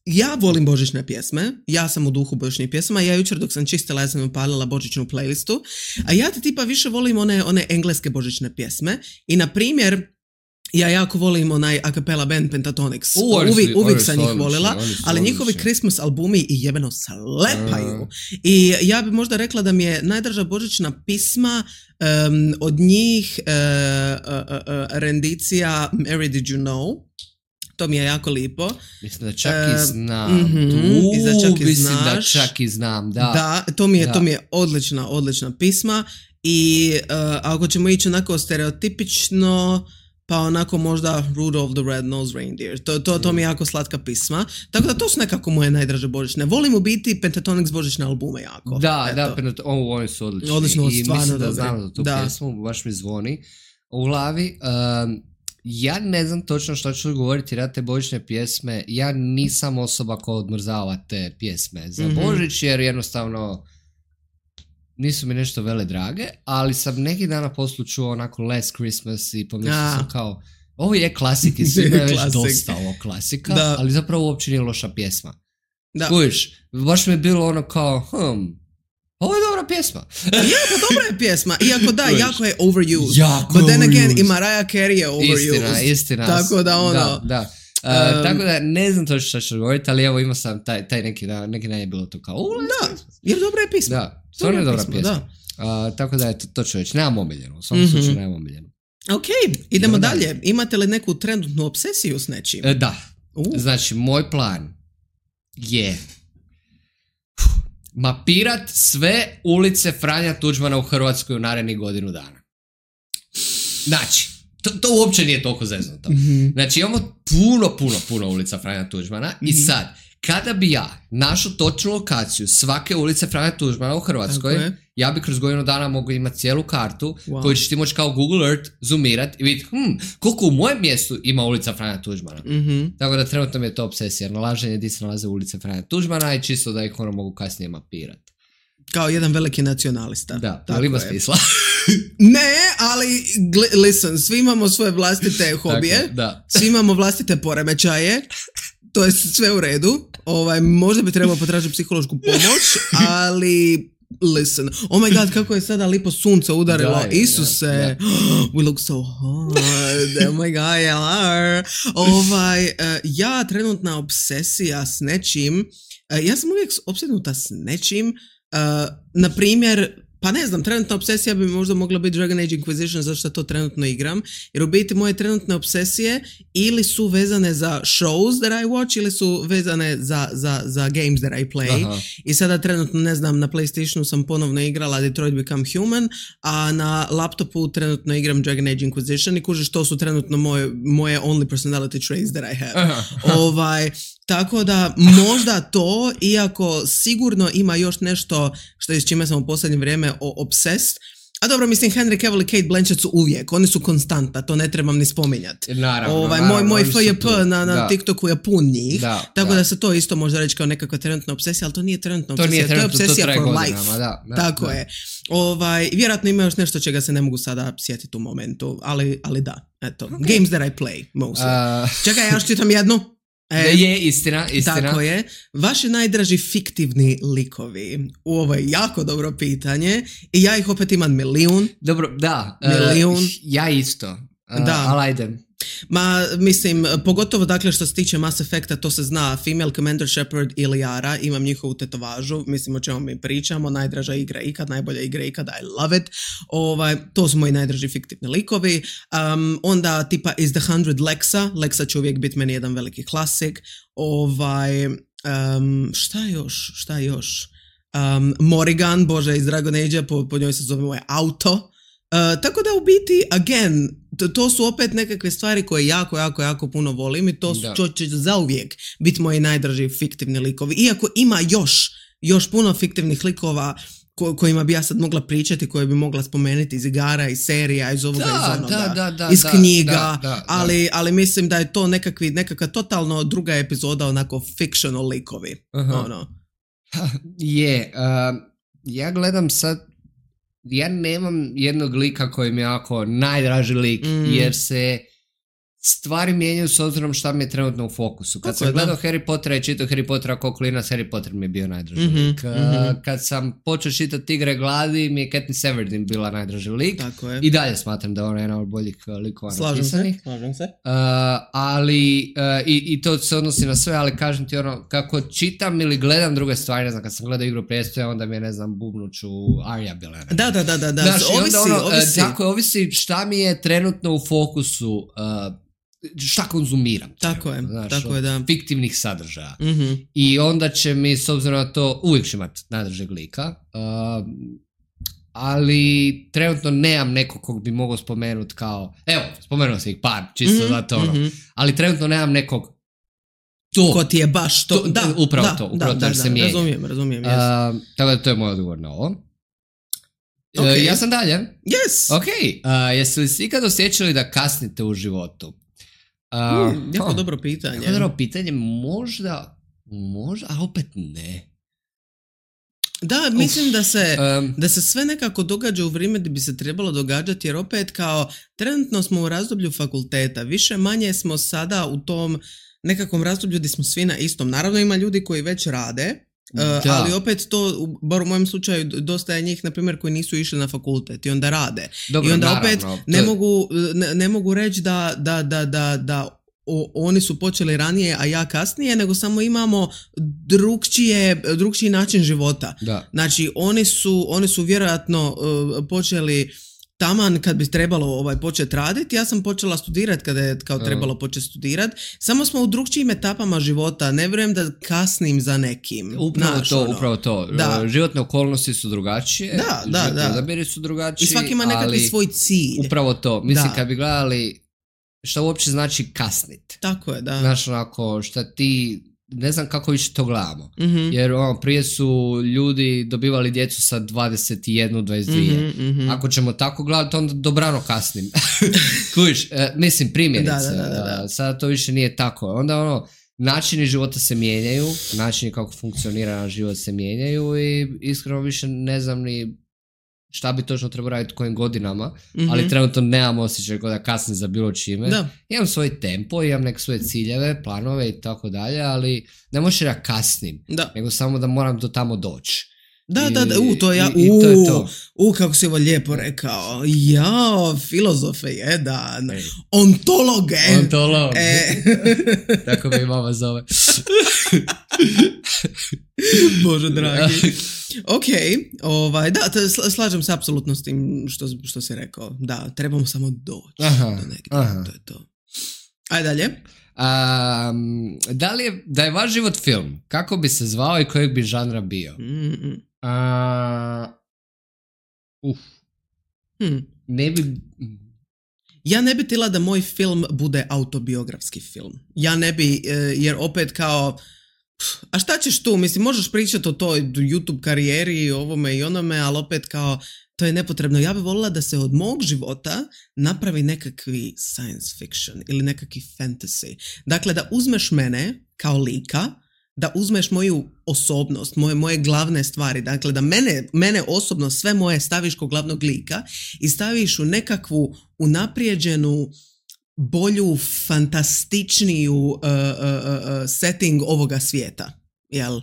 Speaker 1: Ja volim božićne pjesme, ja sam u duhu božićnih pjesma, ja jučer dok sam čistila, ja sam upalila božićnu playlistu, a ja tipa više volim one engleske božićne pjesme i na primjer ja jako volim onaj a cappella band Pentatonix. Uvijek sam ih volila, ali njihovi Christmas albumi i jebeno slepaju. I ja bi možda rekla da mi je najdraža božićna pisma od njih rendicija Mary Did You Know? To mi je jako lipo.
Speaker 2: Mislim da čak i znam. Mislim da čak i znam, da.
Speaker 1: Da, to mi je odlična pisma i ako ćemo ići onako stereotipično, pa onako možda Rudolph the Red-Nosed Reindeer. To mi je jako slatka pisma. Tako da to su nekako moje najdraže božićne. Volim u biti Pentatonix božićne albume jako.
Speaker 2: Da, oni su odlični.
Speaker 1: Odlično,
Speaker 2: i
Speaker 1: stvarno
Speaker 2: mislim da znam za tu pjesmu, baš mi zvoni u glavi. Ja ne znam točno što ću govoriti na te božićne pjesme. Ja nisam osoba koja odmrzava te pjesme za Božić, jer jednostavno nisu mi nešto vele drage, ali sam neki dana poslu čuo onako Last Christmas i pomislio sam kao, ovo je klasik i svima je već dosta ovo klasika, ali zapravo uopće nije loša pjesma. Kužiš, baš mi je bilo ono kao, ovo je dobra pjesma.
Speaker 1: Pa dobra je pjesma. Iako jako je overused. But then again, i Mariah Carey je overused.
Speaker 2: Istina.
Speaker 1: Tako da
Speaker 2: tako da ne znam točno što ću govoriti, ali evo imao sam taj neki dan je bilo to kao
Speaker 1: jer dobra je pjesma.
Speaker 2: Da, stvarno je dobra pjesma. Tako da je to ću reći. Nemam omiljenu. U svom slučaju nemam omiljenu.
Speaker 1: Ok, idemo dalje. Imate li neku trenutnu obsesiju s nečim?
Speaker 2: Da. Znači, moj plan je mapirat sve ulice Franja Tuđmana u Hrvatskoj u narednih godinu dana. Znači, To uopće nije toliko zeznuto. Znači imamo puno ulica Franja Tuđmana i sad, kada bi ja našao točnu lokaciju svake ulice Franja Tuđmana u Hrvatskoj, ja bi kroz godinu dana mogu imati cijelu kartu koju ćeš ti moći kao Google Earth zoomirati i vidjeti koliko u mojem mjestu ima ulica Franja Tuđmana. Tako da trenutno mi je to obsesija, nalaženje gdje se nalaze ulice Franja Tuđmana i čisto da ih mogu kasnije mapirati.
Speaker 1: Kao jedan veliki nacionalista.
Speaker 2: Da, ali ima smisla.
Speaker 1: Ne, ali listen, svi imamo svoje vlastite hobije, svi imamo vlastite poremećaje, to je sve u redu, možda bi trebalo potražiti psihološku pomoć, ali listen, oh my god, kako je sada lipo sunce udarilo, Isuse, we look so hot, oh my god, ja trenutna obsesija s nečim, ja sam uvijek opsednuta s nečim, na primjer, pa ne znam, trenutna obsesija bi možda mogla biti Dragon Age Inquisition, zašto to trenutno igram, jer u biti moje trenutne obsesije ili su vezane za shows that I watch ili su vezane za games that I play. Aha. I sada trenutno, ne znam, na PlayStationu sam ponovno igrala Detroit Become Human, a na laptopu trenutno igram Dragon Age Inquisition i kužiš, to su trenutno moje only personality traits that I have. Tako da možda to, iako sigurno ima još nešto što s čime sam u posljednje vrijeme obsessed. A dobro, mislim, Henry Cavill i Kate Blanchett su uvijek, oni su konstanta, to ne trebam ni spominjati. Moj FJP na TikToku je pun njih, tako da se to isto može reći kao nekakva trenutna obsesija, ali to nije trenutna obsesija, to je obsesija for life. Tako je. Vjerojatno ima još nešto čega se ne mogu sada sjetiti u momentu, ali da, eto. Okay. Games that I play, mostly. Čekaj, ja još čitam jednu.
Speaker 2: Je, istina.
Speaker 1: Tako je. Vaši najdraži fiktivni likovi? Ovo je jako dobro pitanje i ja ih opet imam milijun.
Speaker 2: Dobro, da. Ja isto. Ali ajde.
Speaker 1: Ma, mislim, pogotovo dakle što se tiče Mass Effecta, to se zna, Female Commander Shepard i Liara, imam njihovu tetovažu, mislim o čemu mi pričamo, najdraža igra ikad, najbolja igra ikad, I love it, to su moji najdraži fiktivni likovi. Onda tipa Is the 100 Lexa će uvijek biti meni jedan veliki klasik. Šta još? Morrigan, bože, iz Dragon Age-a, po njoj se zove moje auto. Tako da u biti, again, to su opet nekakve stvari koje jako puno volim i to će zauvijek biti moji najdraži fiktivni likovi. Iako ima još puno fiktivnih likova kojima bi ja sad mogla pričati, koje bi mogla spomenuti iz igara, iz serija, iz ovoga, iz onoga, iz knjiga, ali mislim da je to nekakva totalno druga epizoda, onako fictional likovi.
Speaker 2: Ja gledam sad, ja nemam jednog lika koji mi je jako najdraži lik, jer se stvari mijenjaju s obzirom šta mi je trenutno u fokusu. Kad sam gledao Harry Pottera i čitao Harry Pottera kao klinac, Harry Potter mi je bio najdraži lik. Kad sam počeo čitati Igre gladi, mi je Katniss Everdeen bila najdraži lik. I dalje smatram da je ona jedna od boljih likova napisanih.
Speaker 1: Slažem se.
Speaker 2: Ali, i to se odnosi na sve, ali kažem ti ono, kako čitam ili gledam druge stvari, ne znam, kad sam gledao Igru prijestoja, onda mi je, ne znam, bubnuću Arya bila.
Speaker 1: Da.
Speaker 2: Znaš, ovisi. Tako je, ovisi šta mi je trenutno u fokusu, šta konzumiram.
Speaker 1: Tako je, da.
Speaker 2: Fiktivnih sadržaja. I onda će mi, s obzirom na to, uvijek će imati najdražeg lika, ali trenutno nemam nekog kog bi mogao spomenuti kao, evo, spomenuo sam ih par, čisto zato ono, ali trenutno nemam nekog
Speaker 1: ko ti je baš to.
Speaker 2: Upravo to se mijenja.
Speaker 1: Razumijem.
Speaker 2: Tako da to je moj odgovor na ovo. Ja sam dalje.
Speaker 1: Yes.
Speaker 2: Ok, jeste li si ikad osjećali da kasnite u životu?
Speaker 1: Jako dobro pitanje.
Speaker 2: Možda, a opet ne.
Speaker 1: Da, mislim da se sve nekako događa u vrijeme gdje bi se trebalo događati, jer opet kao trenutno smo u razdoblju fakulteta, više manje smo sada u tom nekakvom razdoblju gdje smo svi na istom. Naravno ima ljudi koji već rade, ali opet to, bar u mojem slučaju, dosta je njih, na primjer, koji nisu išli na fakultet i onda rade. Dobro, i onda naravno, opet ne mogu reći da oni su počeli ranije, a ja kasnije, nego samo imamo drugčiji način života.
Speaker 2: Da.
Speaker 1: Znači, oni su vjerojatno počeli taman kad bi trebalo početi raditi, ja sam počela studirati kada je kao trebalo početi studirati. Samo smo u drugčijim etapama života. Ne vjerujem da kasnim za nekim.
Speaker 2: Upravo to. Da. Životne okolnosti su drugačije. Da. Odabiri su drugačiji.
Speaker 1: I svaki ima nekakvi svoj cilj.
Speaker 2: Upravo to. Mislim, kad bi gledali šta uopće znači kasnit.
Speaker 1: Tako je, da.
Speaker 2: Znaš, onako, šta ti... Ne znam kako više to gledamo. Jer prije su ljudi dobivali djecu sa 21, 22. Ako ćemo tako gledati, onda dobrano kasnim. Kužiš, mislim, primjerice. Da. Sada to više nije tako. Onda načini života se mijenjaju, načini kako funkcionira naš život se mijenjaju i iskreno više ne znam ni šta bi točno trebao raditi kojim godinama, ali trenutno nemam osjećaj da kasnim za bilo čime. Da. Imam svoj tempo, imam neke svoje ciljeve, planove i tako dalje, ali ne možeš da kasnim, nego samo da moram do tamo doći.
Speaker 1: To je to. Kako si ovo lijepo rekao. Filozofe jedan. Ontologe.
Speaker 2: Tako me i mama zove.
Speaker 1: Bože dragi. Ok, slažem se apsolutno s tim što si rekao. Da, trebamo samo doći do negdje. To je to. Ajde dalje.
Speaker 2: Da je vaš život film, kako bi se zvao i kojeg bi žanra bio? Ne bi...
Speaker 1: Ja ne bi htjela da moj film bude autobiografski film. Ja ne bi, jer opet kao... A šta ćeš tu? Mislim, možeš pričati o toj YouTube karijeri, ovome i onome, ali opet kao, to je nepotrebno. Ja bih voljela da se od mog života napravi nekakvi science fiction ili nekakvi fantasy. Dakle, da uzmeš mene kao lika, da uzmeš moju osobnost, moje glavne stvari, dakle da mene osobno sve moje staviš kao glavnog lika i staviš u nekakvu unaprijeđenu, bolju, fantastičniju setting ovoga svijeta. Jel?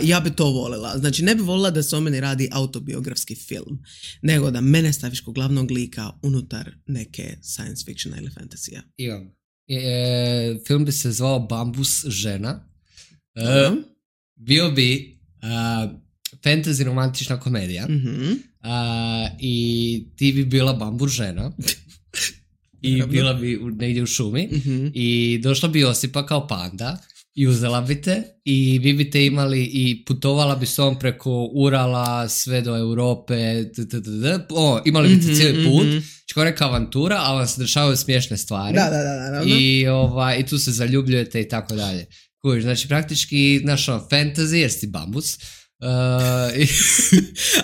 Speaker 1: Ja bi to voljela. Znači, ne bi voljela da se o meni radi autobiografski film, nego da mene staviš kao glavnog lika unutar neke science fictiona ili fantasija.
Speaker 2: Imam. Film bi se zvao Bambus žena. Bio bi fantasy romantična komedija i ti bi bila bambus žena i bila bi negdje u šumi i došla bi Josipa kao panda i uzela bi te i vi bi te imali i putovala bi s tom preko Urala sve do Europe, imali bi te cijeli put, kao neka avantura, ali vam se dešavaju smiješne stvari i tu se zaljubljujete i tako dalje. Znači, praktički, fantasy, jer si bambus.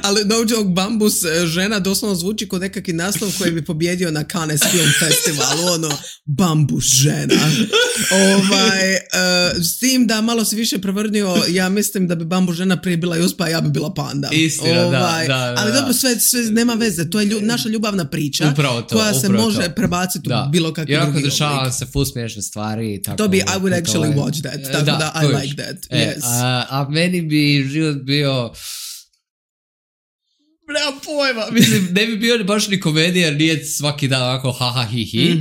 Speaker 1: Ali no joke, bambus žena doslovno zvuči kod nekakvi naslov koji bi pobjedio na Cannes Film Festivalu, bambus žena. S tim da malo si više prevrnio, ja mislim da bi bambus žena prije bila Jospa, a ja bi bila panda.
Speaker 2: Istina,
Speaker 1: ali dobro, sve nema veze, to je naša ljubavna priča koja se može prebaciti u bilo kakvi drugi oblik.
Speaker 2: Jer ako dešava se full smiješne stvari. Tako,
Speaker 1: to bi, I would actually watch that, tako da I like that. Yes.
Speaker 2: A meni bi život bio... Nemam pojma. Mislim, ne bi bio baš ni komedija, jer nije svaki dan ovako ha hi hi.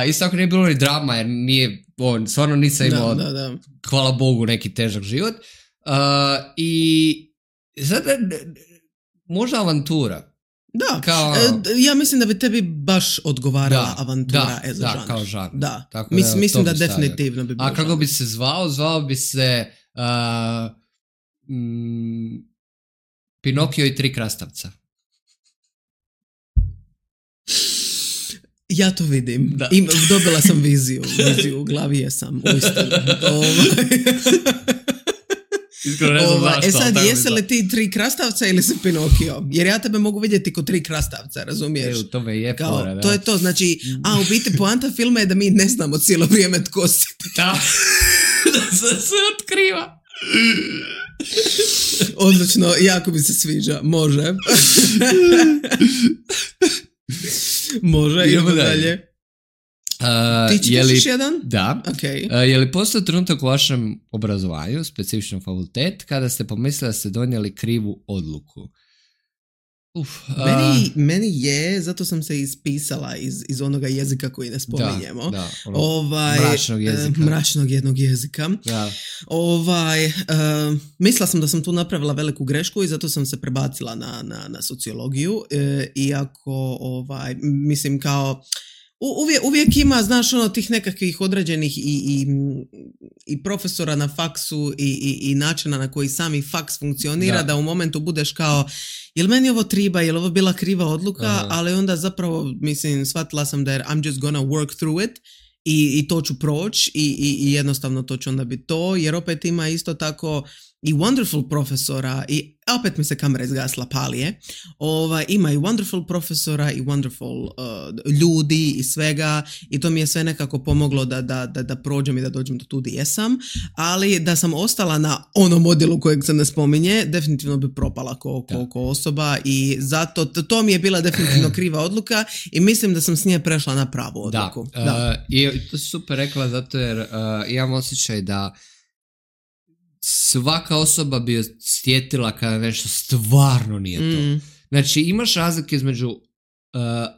Speaker 2: Isto ako nije bilo ni drama, jer nije, stvarno nisam imao, hvala Bogu, neki težak život. I sad, možda avantura.
Speaker 1: Da, ja mislim da bi tebi baš odgovarala avantura za žanr.
Speaker 2: Kao žanr.
Speaker 1: Da, mislim da definitivno bi bio.
Speaker 2: A kako bi se zvao bi se... Pinokio i 3 krastavca.
Speaker 1: Ja to vidim. Dobila sam viziju u glavi jesam.
Speaker 2: Iskreno ne znam zašto.
Speaker 1: Sad, jesi li ti 3 krastavca ili si Pinokio? Jer ja tebe mogu vidjeti ko 3 krastavca, razumiješ?
Speaker 2: To me je fora, da.
Speaker 1: To je to, znači, u biti poanta filma je da mi ne znamo cijelo vrijeme tko si.
Speaker 2: Da, da se otkriva.
Speaker 1: Odlično, jako mi se sviđa. Može. Može, idemo dalje. Ti čitaš jedan?
Speaker 2: Da.
Speaker 1: Okay.
Speaker 2: Je li postao trenutak u vašem obrazovanju, specifičnom fakultet, kada ste pomislili da ste donijeli krivu odluku?
Speaker 1: Meni je, zato sam se ispisala iz onoga jezika koji ne spominjemo. Mračnog jednog jezika.
Speaker 2: Da.
Speaker 1: Mislila sam da sam tu napravila veliku grešku i zato sam se prebacila na sociologiju. Iako, mislim kao... Uvijek ima, znaš, tih nekakvih određenih i profesora na faksu i načina na koji sami faks funkcionira, da u momentu budeš kao, jel meni ovo triba, jel ovo bila kriva odluka, ali onda zapravo, mislim, shvatila sam da I'm just gonna work through it i to ću proći i jednostavno to ću onda biti to, jer opet ima isto tako i wonderful profesora i opet mi se kamera izgasla, palije. Ima i wonderful profesora i wonderful ljudi i svega i to mi je sve nekako pomoglo da prođem i da dođem do tu gdje jesam, ali da sam ostala na onom modelu kojeg se ne spominje, definitivno bi propala ko osoba i zato to mi je bila definitivno kriva odluka i mislim da sam s nje prešla na pravu odluku.
Speaker 2: I to si super rekla zato jer imam osjećaj da svaka osoba bi osjetila kada nešto stvarno nije to. Znači imaš razlike između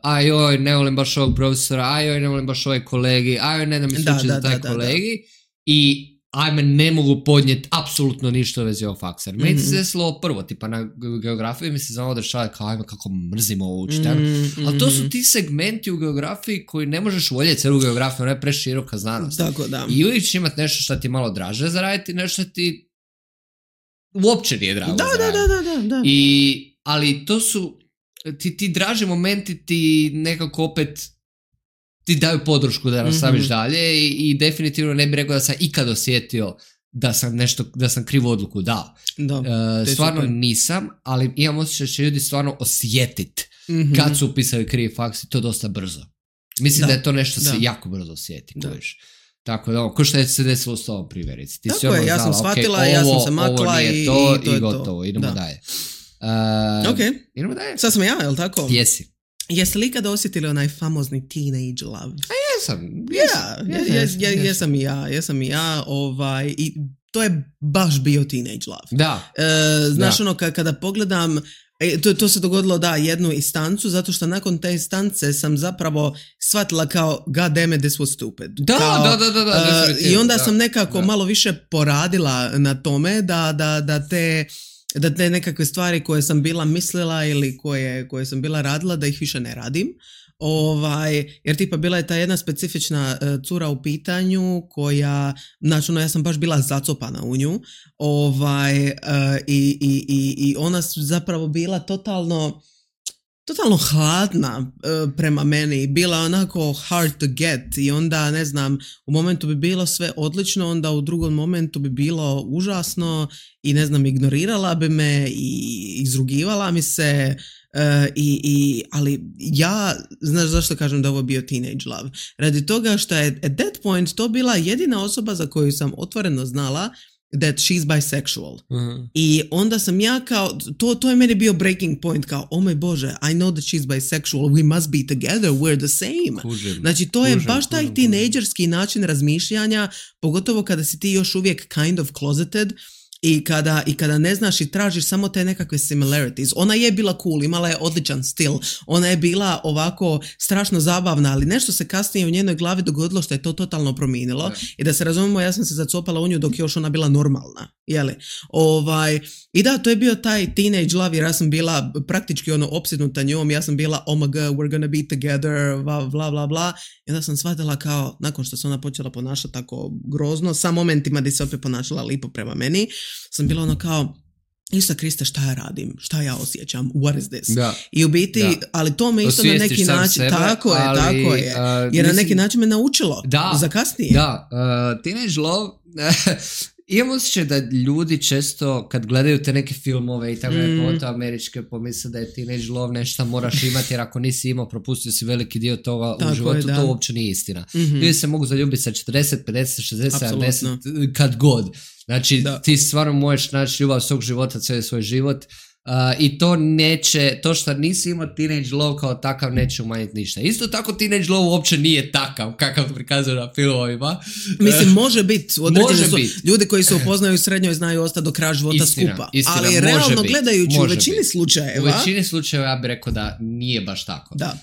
Speaker 2: ajoj, ne volim baš ovog profesora, ajoj, ne volim baš ovaj kolegi, ajoj, ne da mi sluči za taj kolegi i ajme, ne mogu podnijeti apsolutno ništa u vezi ovog faksa. Meni se desilo prvo, tipa na geografiji mi se znamo dešavati kao ajme kako mrzim ovo učiti. Ali to su ti segmenti u geografiji koji ne možeš voljeti cijelu geografiju, ona je preširoka znanost.
Speaker 1: Tako da.
Speaker 2: I uvijek će imati nešto što ti malo draže zaraditi, nešto ti uopće nije drago zaraditi.
Speaker 1: Da.
Speaker 2: Ali to su ti draži momenti ti nekako opet ti daju podršku da nastaviš dalje i definitivno ne bih rekao da sam ikad osjetio da sam krivu odluku dao. Stvarno super. Nisam, ali imam osjećaj da će ljudi stvarno osjetiti kad su upisali krivi faks i to dosta brzo. Mislim da je to nešto se jako brzo osjeti. Tako da, ko što je se desilo s tobom primjerici. Ti
Speaker 1: tako je, ja sam shvatila, ja sam se makla i to je
Speaker 2: gotovo. Idemo dalje. Idemo dalje.
Speaker 1: Sad sam ja, je li tako?
Speaker 2: Jesi.
Speaker 1: Jeste li ikada osjetili onaj famozni teenage love? Jesam i ja. I to je baš bio teenage love.
Speaker 2: Da.
Speaker 1: Znaš, kada pogledam, to se dogodilo, jednu instancu, zato što nakon te instance sam zapravo shvatila kao god damn it, this was stupid.
Speaker 2: Da.
Speaker 1: I onda sam nekako malo više poradila na tome da te nekakve stvari koje sam bila mislila ili koje sam bila radila da ih više ne radim. Jer tipa bila je ta jedna specifična cura u pitanju koja, znači ja sam baš bila zacopana u nju i ona su zapravo bila totalno hladna prema meni, bila onako hard to get i onda ne znam, u momentu bi bilo sve odlično, onda u drugom momentu bi bilo užasno i ne znam, ignorirala bi me i izrugivala mi se ali ja, znaš zašto kažem da ovo bio teenage love? Radi toga što je at that point to bila jedina osoba za koju sam otvoreno znala that she's bisexual. I onda sam ja kao, to je meni bio breaking point, kao, oh moj Bože, I know that she's bisexual, we must be together, we're the same. Znači, to je baš taj teenagerski način razmišljanja, pogotovo kada si ti još uvijek kind of closeted, I kada ne znaš i tražiš samo te nekakve similarities. Ona je bila cool, imala je odličan stil, ona je bila ovako strašno zabavna, ali nešto se kasnije u njenoj glavi dogodilo što je to totalno promijenilo. I da se razumemo, ja sam se zacopala u nju dok je još ona bila normalna. Jeli? I da, to je bio taj teenage love, jer ja sam bila praktički opsednuta njom, ja sam bila oh my god, we're gonna be together, bla bla bla. I onda sam shvatila kao, nakon što se ona počela ponašati tako grozno, sa momentima da se opet ponašala lipo prema meni, sam bila kao, Isusa Kriste, šta ja radim, šta ja osjećam, what is this? Da. I u biti, ali to me isto na neki način, sebe, tako je, jer na neki način me naučilo za kasnije.
Speaker 2: Da, teenage love, imam osjećaj da ljudi često kad gledaju te neke filmove i tako pogotovo američke, pomisle da je teenage love nešto moraš imati, jer ako nisi imao, propustio si veliki dio toga tako u životu, to uopće nije istina. Ljudi se mogu zaljubiti sa 40, 50, 60, apsolutno. 70, kad god. Znači, ti stvarno možeš naći ljubav svog života, cijeli svoj život I to što nisi imao teenage love kao takav neće umanjiti ništa. Isto tako teenage love uopće nije takav kakav prikazuje na filmovima.
Speaker 1: Mislim, može biti. Ljudi koji se upoznaju u srednjoj znaju ostati do kraja života skupa.
Speaker 2: Istina,
Speaker 1: ali realno gledajući u većini slučajeva...
Speaker 2: U većini slučajeva ja bih rekao da nije baš tako.
Speaker 1: Da.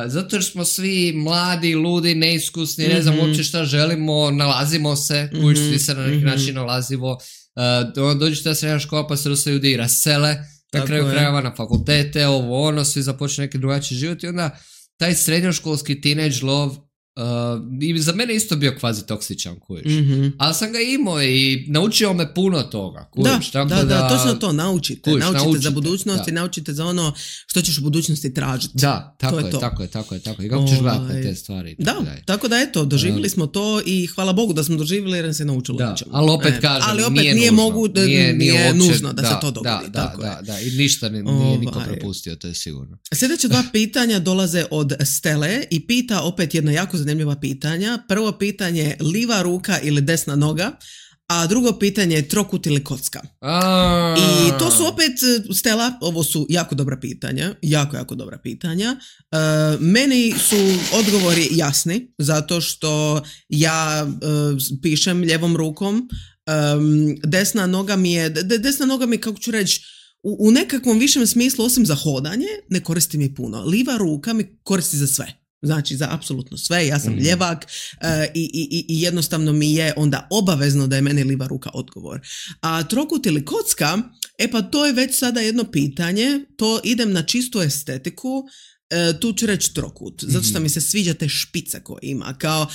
Speaker 2: Zato jer smo svi mladi, ludi, neiskusni, ne znam uopće šta želimo, nalazimo se, svi se na neki način nalazimo. Dođeš ta srednja škola pa se dosta ljudi i rasele, na kraju krajeva na fakultete, svi započne neki drugačiji život i onda taj srednjoškolski teenage love i za mene isto bio kvazi toksičan, kujiš. Ali sam ga imao i naučio me puno toga, kujiš.
Speaker 1: Da, točno to, naučite za budućnost i naučite za ono što ćeš u budućnosti tražiti.
Speaker 2: Da, tako je. I kako ćeš gledati na te stvari.
Speaker 1: Da, tako da eto, doživjeli smo to i hvala Bogu da smo doživjeli jer se naučilo.
Speaker 2: Da, ali opet kažem,
Speaker 1: nije nužno da se to dogodi.
Speaker 2: Da, i ništa nije niko propustio, to je sigurno.
Speaker 1: Sljedeća 2 pitanja dolaze od Stele i pita opet jedno jako zanimljiva pitanja. Prvo pitanje, liva ruka ili desna noga, a drugo pitanje je trokut ili kocka. I to su opet, Stella, ovo su jako dobra pitanja, jako dobra pitanja. Meni su odgovori jasni, zato što ja pišem lijevom rukom. Desna noga mi je, kako ću reći, u nekakvom višem smislu, osim za hodanje, ne koristi mi puno. Liva ruka mi koristi za sve. Znači za apsolutno sve, ja sam ljevak i jednostavno mi je onda obavezno da je meni liva ruka odgovor. A trokut ili kocka, pa to je već sada jedno pitanje, to idem na čistu estetiku, tu ću reći trokut, zato što mi se sviđa te špice koje ima, kao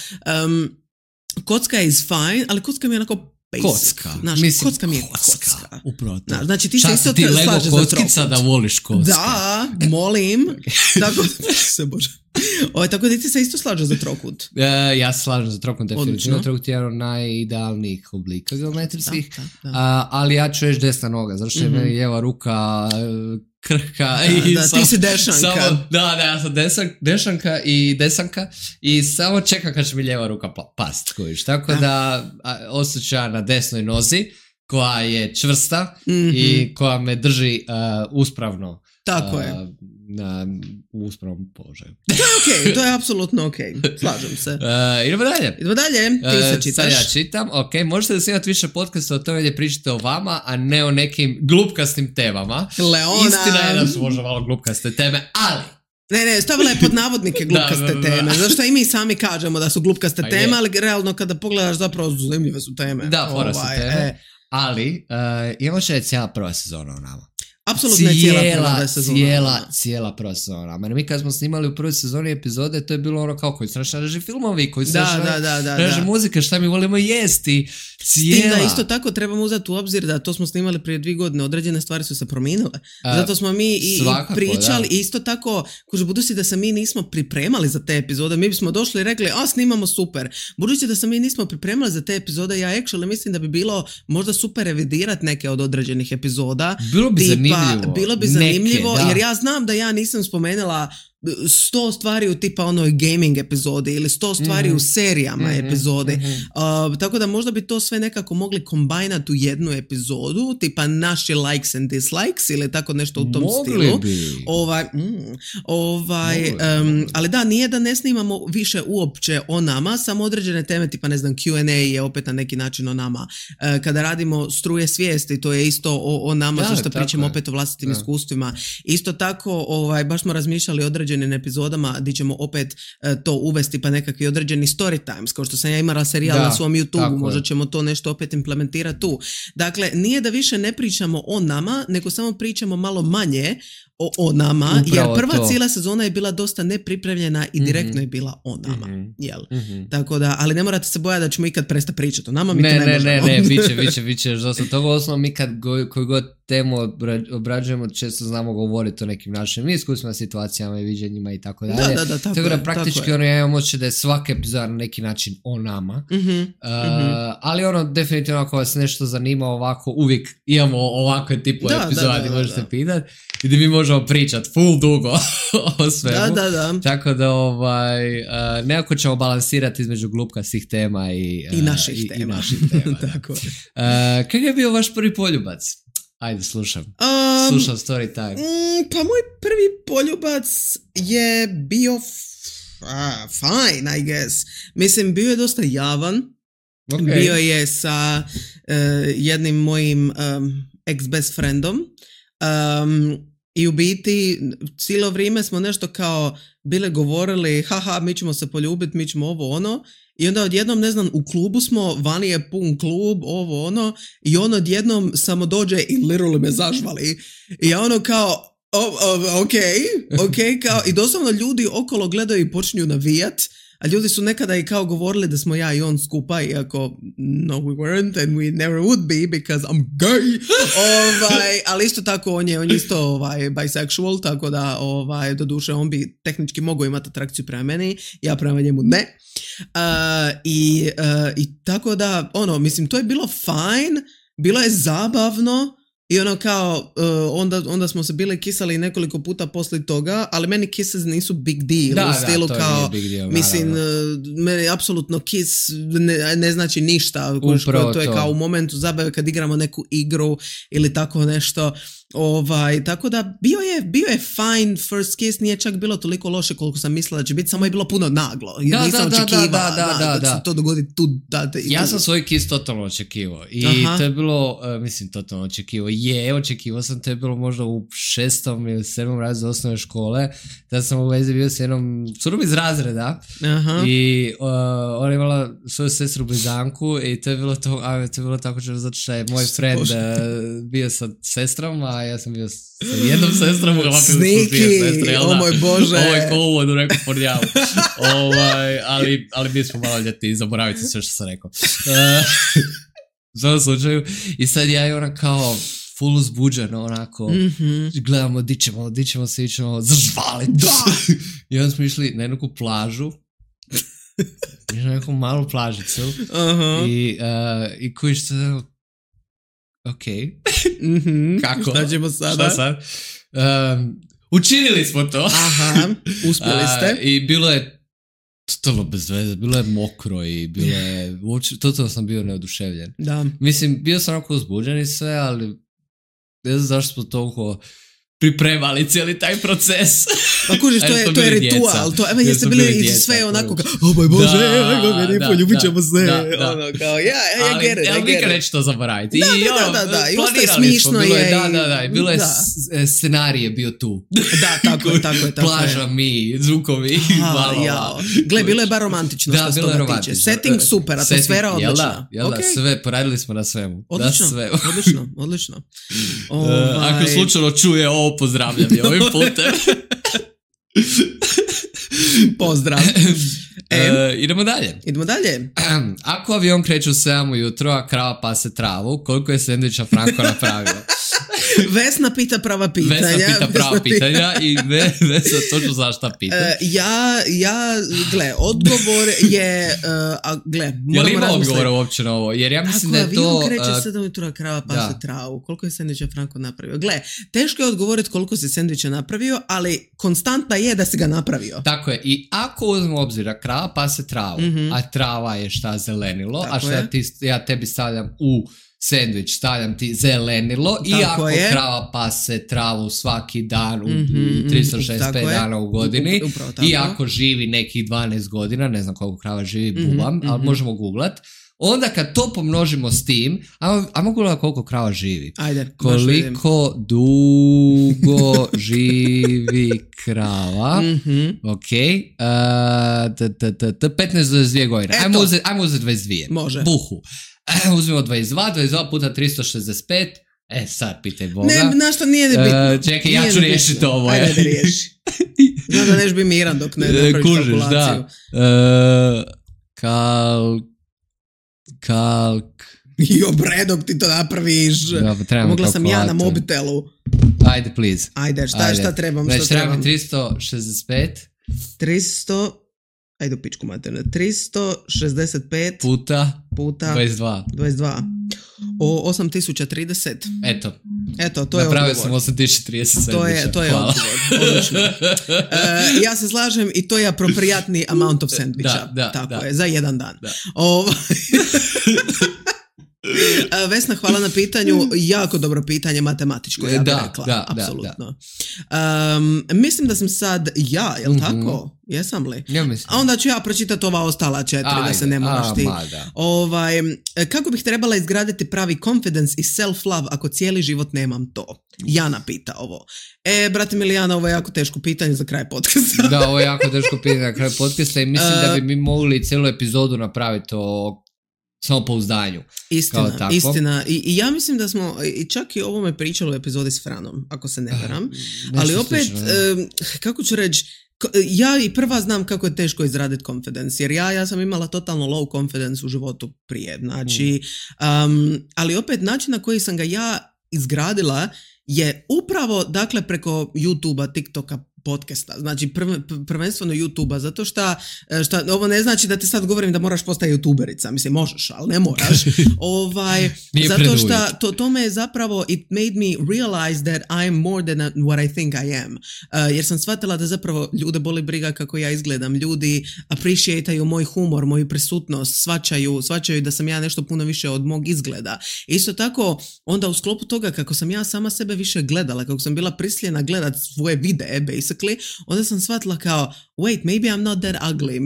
Speaker 1: kocka is fine, ali kocka mi je onako basic.
Speaker 2: Kocka.
Speaker 1: Kocka mi je kocka.
Speaker 2: Upravo to.
Speaker 1: Znači ti se isto slažeš za trokut.
Speaker 2: Da voliš kocka.
Speaker 1: Da, molim. Tako se bože. Tako da ti se isto slažeš za trokut.
Speaker 2: Ja se slažem za trokut, definitivno. Trokut je jedan od najidealnijih oblika geometrijskih. Ali ja ću reći desna noga, zato što je meni lijeva ruka krhka.
Speaker 1: Ti si dešanka.
Speaker 2: Ja sam dešanka i desanka i samo čekam kad će mi lijeva ruka past. Tako da osjećam na desnoj nozi koja je čvrsta i koja me drži uspravno.
Speaker 1: Tako je.
Speaker 2: U uspravnom položaju.
Speaker 1: To je okej, to je apsolutno okej. Slažem se.
Speaker 2: Idemo dalje.
Speaker 1: Ti se čitaš.
Speaker 2: Sad ja čitam. Možete da snimati više podcasta o tome gdje pričate o vama, a ne o nekim glupkastim temama.
Speaker 1: Leona.
Speaker 2: Istina je da su možda malo glupkaste teme, ali...
Speaker 1: Ne, stavila je pod navodnike glupkaste teme. Zašto i mi sami kažemo da su glupkaste teme, ali realno kada pogledaš zapravo zanimljive su teme.
Speaker 2: Da, fora su teme. Ali, imamo će cijela prva sezona o nama.
Speaker 1: Apsolutno je
Speaker 2: cijela prva sezona. Mi kad smo snimali u prvoj sezoni epizode, to je bilo ono kao koji su naši reži filmovi, koji su reži muzike, šta mi volimo jesti. Cijela. Da,
Speaker 1: isto tako trebamo uzeti u obzir da to smo snimali prije 2 godine, određene stvari su se promijenile. Zato smo mi i pričali, i isto tako, budući da se mi nismo pripremali za te epizode, mi bismo došli i rekli, snimamo super. Budući da se mi nismo pripremali za te epizode, ja actually mislim da bi bilo možda super revidirati neke od određenih epizoda. Bilo bi zanimljivo, jer ja znam da ja nisam spomenula 100 stvari u tipa onoj gaming epizodi ili 100 stvari u serijama epizode. Tako da možda bi to sve nekako mogli kombinati u jednu epizodu, tipa naši likes and dislikes ili tako nešto u tom stilu. Ali da, nije da ne snimamo više uopće o nama, samo određene teme, tipa ne znam, Q&A je opet na neki način o nama. Kada radimo struje svijesti, to je isto o nama, što pričamo opet o vlastitim iskustvima. Isto tako, baš smo razmišljali o određenim epizodama gdje ćemo opet to uvesti, pa nekakvi određeni story times, kao što sam ja imala serijal na svom YouTube, možda ćemo to nešto opet implementirati tu. Dakle, nije da više ne pričamo o nama, nego samo pričamo malo manje o nama, jer prva cijela sezona je bila dosta nepripremljena i direktno je bila o nama. Tako da, ali ne morate se bojati da ćemo ikad prestati pričati o nama, mi to ne možemo.
Speaker 2: Ne, biće, dosta toga. Osnovno, mi kad koju god temu obrađujemo, često znamo govoriti o nekim našim iskustvima, situacijama i viđenjima i tako dalje. Tako da praktički ja imam osjećaj da je svaka epizoda na neki način o nama. Ali definitivno ako vas nešto zanima ovako, uvijek imamo ovakve tipove epizoda gdje možete pitati i gdje mi možemo pričati full dugo o svemu. Tako da nekako ćemo balansirati između glupkastih tema i
Speaker 1: naših tema.
Speaker 2: Tako. Kakav je bio vaš prvi poljubac? Ajde, slušam. Slušam story time.
Speaker 1: Pa moj prvi poljubac je bio fine, I guess. Mislim, bio je dosta javan. Okay. Bio je sa jednim mojim ex-best friendom. I u biti cijelo vrijeme smo nešto kao bile govorili, haha, mi ćemo se poljubiti, mi ćemo ovo ono. I onda odjednom, ne znam, u klubu smo, vani je pun klub, ovo ono. I on odjednom samo dođe i literally me zažvali. I ja ono kao, ok, kao, i doslovno ljudi okolo gledaju i počinju navijat. A ljudi su nekada i kao govorili da smo ja i on skupa, iako no we weren't and we never would be because I'm gay. Ali isto tako on je isto bisexual, tako da doduše on bi tehnički mogao imati atrakciju prema meni, ja prema njemu ne. I tako da, mislim, to je bilo fine, bilo je zabavno. I ono kao, onda smo se bili kisali nekoliko puta poslije toga, ali meni kisses nisu big deal. U stilu
Speaker 2: to
Speaker 1: kao,
Speaker 2: big deal,
Speaker 1: mislim, meni apsolutno kiss ne znači ništa. To je kao u momentu zabave kad igramo neku igru ili tako nešto. Tako da bio je fine first kiss, nije čak bilo toliko loše koliko sam mislila da će biti, samo je bilo puno naglo. Nisam očekivala da se to dogodi tu.
Speaker 2: Ja sam svoj kiss totalno očekivao i to je bilo, totalno očekivao sam, to je bilo možda u 6. ili 7. razredu osnovne škole, da sam u vezi bio s jednom curom iz razreda. I ona je imala svoju sestru blizanku i to je bilo tako zato što je moj friend bio sa sestrom, a ja sam bio sa jednom sestrom,
Speaker 1: o moj Bože.
Speaker 2: Ovo je ko uvod u neku pornjavu. Ali mi smo malo ljeti, zaboravite sve što sam rekao. U svom slučaju. I sad ja i ona kao full uzbuđeno, onako, gledamo di ćemo se ićemo zažvaliti. I onda smo išli na jednu plažu. Išli na neku malu plažicu. I kojiš se ok. Kako?
Speaker 1: Šta ćemo sada?
Speaker 2: Šta sad? Učinili smo to.
Speaker 1: Uspjeli ste.
Speaker 2: I bilo je totalno bez veze, bilo je mokro i bilo je, totalno sam bio neoduševljen.
Speaker 1: Da.
Speaker 2: Mislim, bio sam onako uzbuđen i sve, ali ne znam zašto smo toliko pripremali cijeli taj proces.
Speaker 1: Pa kužiš, to je ritual. Evo jeste bili sve onako kao, o moj Bože, poljubit ćemo se. Ono kao, I get it.
Speaker 2: Ali nikad neće to zaboraviti.
Speaker 1: I ostaje smišno je.
Speaker 2: Bilo je scenarij bio tu.
Speaker 1: Da, tako je.
Speaker 2: Plaža, mi, zvukovi, valova.
Speaker 1: Gle, bilo je bar romantično što se toga tiče. Setting super, atmosfera odlična.
Speaker 2: Jel da, sve, poradili smo na svemu.
Speaker 1: Odlično.
Speaker 2: Ako slučajno čuje ovo, pozdravljam je ovim putem.
Speaker 1: Pozdrav.
Speaker 2: Idemo dalje. Ako avion kreće u 7 ujutro, a krava pase travu, koliko je sendviča Franko napravio?
Speaker 1: Vesna pita prava pitanja.
Speaker 2: I Vesna točno znaš šta pita.
Speaker 1: Odgovor je...
Speaker 2: Je li ima odgovor uopće na ovo? Jer ja mislim da je to...
Speaker 1: Ako avion kreće 7 ujutro, a krava pase travu, koliko je sendviča Franko napravio? Teško je odgovoriti koliko si sendviča napravio, ali konstantna je da si ga napravio.
Speaker 2: Tako je. I ako uzmemo obzir da krava pase travu, a trava je šta zelenilo, tako a šta ja tebi stavljam u sendvič, stavljam ti zelenilo, tako i ako krava pase travu svaki dan u 365 dana u godini, i ako živi nekih 12 godina, ne znam koliko krava živi, bubam, ali možemo googlat, onda kad to pomnožimo s tim, ajmo gledati koliko krava živi.
Speaker 1: Ajde,
Speaker 2: koliko dugo živi krava. Ok. 15-22 godine. Ajmo uzeti 22.
Speaker 1: Može.
Speaker 2: Buhu. Uzmemo 22 puta 365. Sad pitaj Boga.
Speaker 1: Ne, našta nije bitno.
Speaker 2: Čekaj, ja ću riješiti ovo.
Speaker 1: Ajde da riješi. Znam da neš bi miran dok ne napraviš kalkulaciju. Bre, dok ti to napraviš. Mogla sam ja na mobitelu.
Speaker 2: Ajde, please.
Speaker 1: Ajde, šta trebam?
Speaker 2: Znači, trebam 365.
Speaker 1: 300... Ajde u pičku materne. 365
Speaker 2: puta
Speaker 1: 22. 8030. Eto, to je odgovor.
Speaker 2: Napravio sam 8030
Speaker 1: To je odgovor. Odlično. Ja se slažem i to je aproprijatni amount of sandviča. Tako je, za jedan dan. Vesna, hvala na pitanju. Jako dobro pitanje, matematičko, ja bih rekla.
Speaker 2: Da,
Speaker 1: apsolutno. Mislim da sam sad jel tako? Jesam li?
Speaker 2: Ja mislim.
Speaker 1: A onda ću ja pročitati ova ostala 4, da se ne moraš ti. Kako bih trebala izgraditi pravi confidence i self-love ako cijeli život nemam to? Jana pita ovo. Brate Milijana, ovo je jako teško pitanje za kraj podcasta.
Speaker 2: Da, ovo je jako teško pitanje za kraj podcasta i mislim da bi mi mogli cijelu epizodu napraviti o samopouzdanju.
Speaker 1: Istina. I ja mislim da smo čak i o ovome pričali u epizodi s Franom, ako se ne varam. Ali opet, kako ću reći, ja i prva znam kako je teško izraditi confidence, jer ja sam imala totalno low confidence u životu prije. Znači, ali opet način na koji sam ga ja izgradila je upravo, dakle, preko YouTubea, TikToka, podcasta, znači prvenstveno YouTubea, zato što ovo ne znači da ti sad govorim da moraš postati youtuberica, mislim možeš, ali ne moraš. Zato što to me je zapravo, it made me realize that I am more than what I think I am. Jer sam shvatila da zapravo ljude boli briga kako ja izgledam, ljudi appreciate-aju moj humor, moju prisutnost, shvaćaju da sam ja nešto puno više od mog izgleda. Isto tako, onda u sklopu toga kako sam ja sama sebe više gledala, kako sam bila prisiljena gledat svoje videe, onda sam shvatila kao, wait, maybe I'm not that ugly,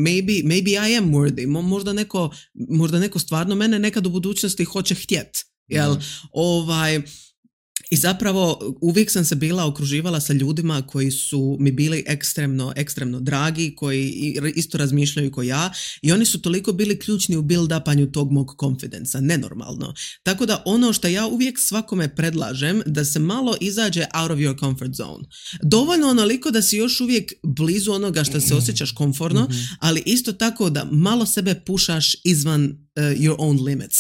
Speaker 1: maybe I am worthy, možda neko stvarno mene nekad u budućnosti hoće htjet, jel? I zapravo uvijek sam se bila okruživala sa ljudima koji su mi bili ekstremno dragi, koji isto razmišljaju kao ja i oni su toliko bili ključni u build-upanju tog mog confidenca, nenormalno. Tako da ono što ja uvijek svakome predlažem, da se malo izađe out of your comfort zone. Dovoljno onoliko da si još uvijek blizu onoga što se osjećaš komfortno, ali isto tako da malo sebe pušaš izvan your own limits.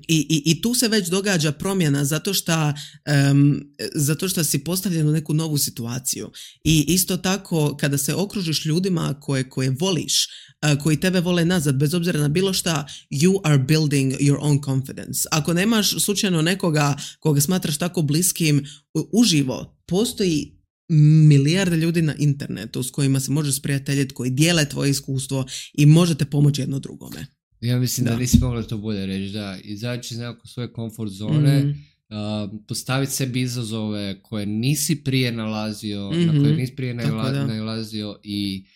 Speaker 1: I tu se već događa promjena zato što si postavljen u neku novu situaciju. I isto tako kada se okružiš ljudima koje voliš, koji tebe vole nazad, bez obzira na bilo šta, you are building your own confidence. Ako nemaš slučajno nekoga koga smatraš tako bliskim, uživo postoji milijarde ljudi na internetu s kojima se možeš sprijateljiti, koji dijele tvoje iskustvo i možete pomoći jedno drugome.
Speaker 2: Ja mislim da nisi mogla to bolje reći, da izaći iz nekako svoje komfort zone, postaviti sebi izazove koje nisi prije nalazio, na koje nisi prije nalazio i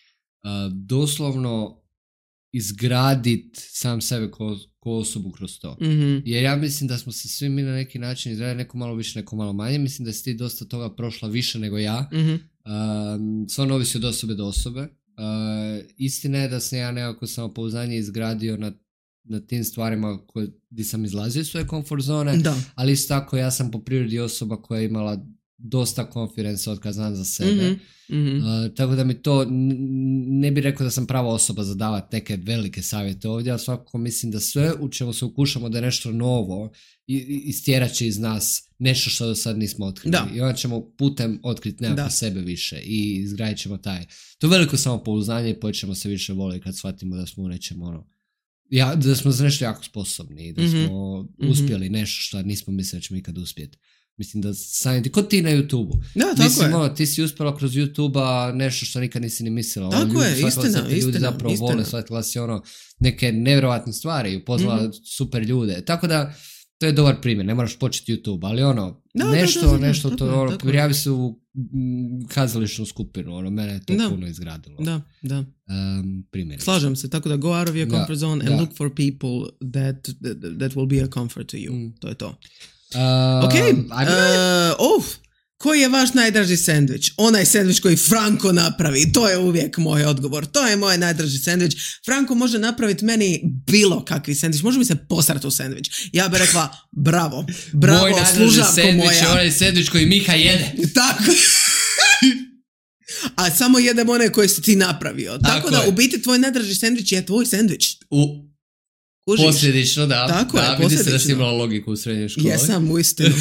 Speaker 2: doslovno izgraditi sam sebe ko osobu kroz to. Jer ja mislim da smo se svi mi na neki način izgradili, neko malo više, neko malo manje. Mislim da si ti dosta toga prošla više nego ja. Stvarno ovisi od osobe do osobe. Istina je da sam ja nekako samopouzdanje izgradio na tim stvarima gdje sam izlazio iz svoje komfort zone, ali isto tako ja sam po prirodi osoba koja je imala dosta confidence od kad znam za sebe. Tako da mi to, ne bih rekao da sam prava osoba za davati neke velike savjete ovdje, ali svakako mislim da sve u čemu se ukušamo da je nešto novo istjerat će iz nas nešto što do sad nismo otkrili. I onda ćemo putem otkriti nekako sebe više i izgradit ćemo to veliko samopouzdanje i počnemo se više voliti kad shvatimo da smo u nečem da smo za nešto jako sposobni i da smo uspjeli nešto što nismo mislili da ćemo ikad uspjeti. Mislim da sami kod ti na YouTube-u. Ti si uspjela kroz YouTube-a nešto što nikad nisi ni mislila.
Speaker 1: Tako je, istina.
Speaker 2: Ljudi zapravo vole, shvatila si neke nevjerovatne stvari i upoznala super ljude. Tako da, to je dobar primjer, ne moraš početi YouTube, ali nešto prijavi se u kazališnu skupinu, mene je to puno izgradilo. Primjer.
Speaker 1: Slažem se, tako da go out of your comfort zone and look for people that will be a comfort to you. To je to. Koji je vaš najdraži sendvič? Onaj sendvič koji Franko napravi, to je uvijek moj odgovor. To je moj najdraži sendvič. Franko može napraviti meni bilo kakvi sendvič. Može mi se posrati u sendvič. Ja bih rekla bravo,
Speaker 2: moj najdraži sendvič je onaj sendvič koji Miha jede.
Speaker 1: Tako. A samo jedem one koje si ti napravio. Tako da u biti tvoj najdraži sendvič je tvoj sendvič.
Speaker 2: Posljedično, Tako je, vidi se da si imala logiku u srednjoj školi.
Speaker 1: Jesam, uistinu.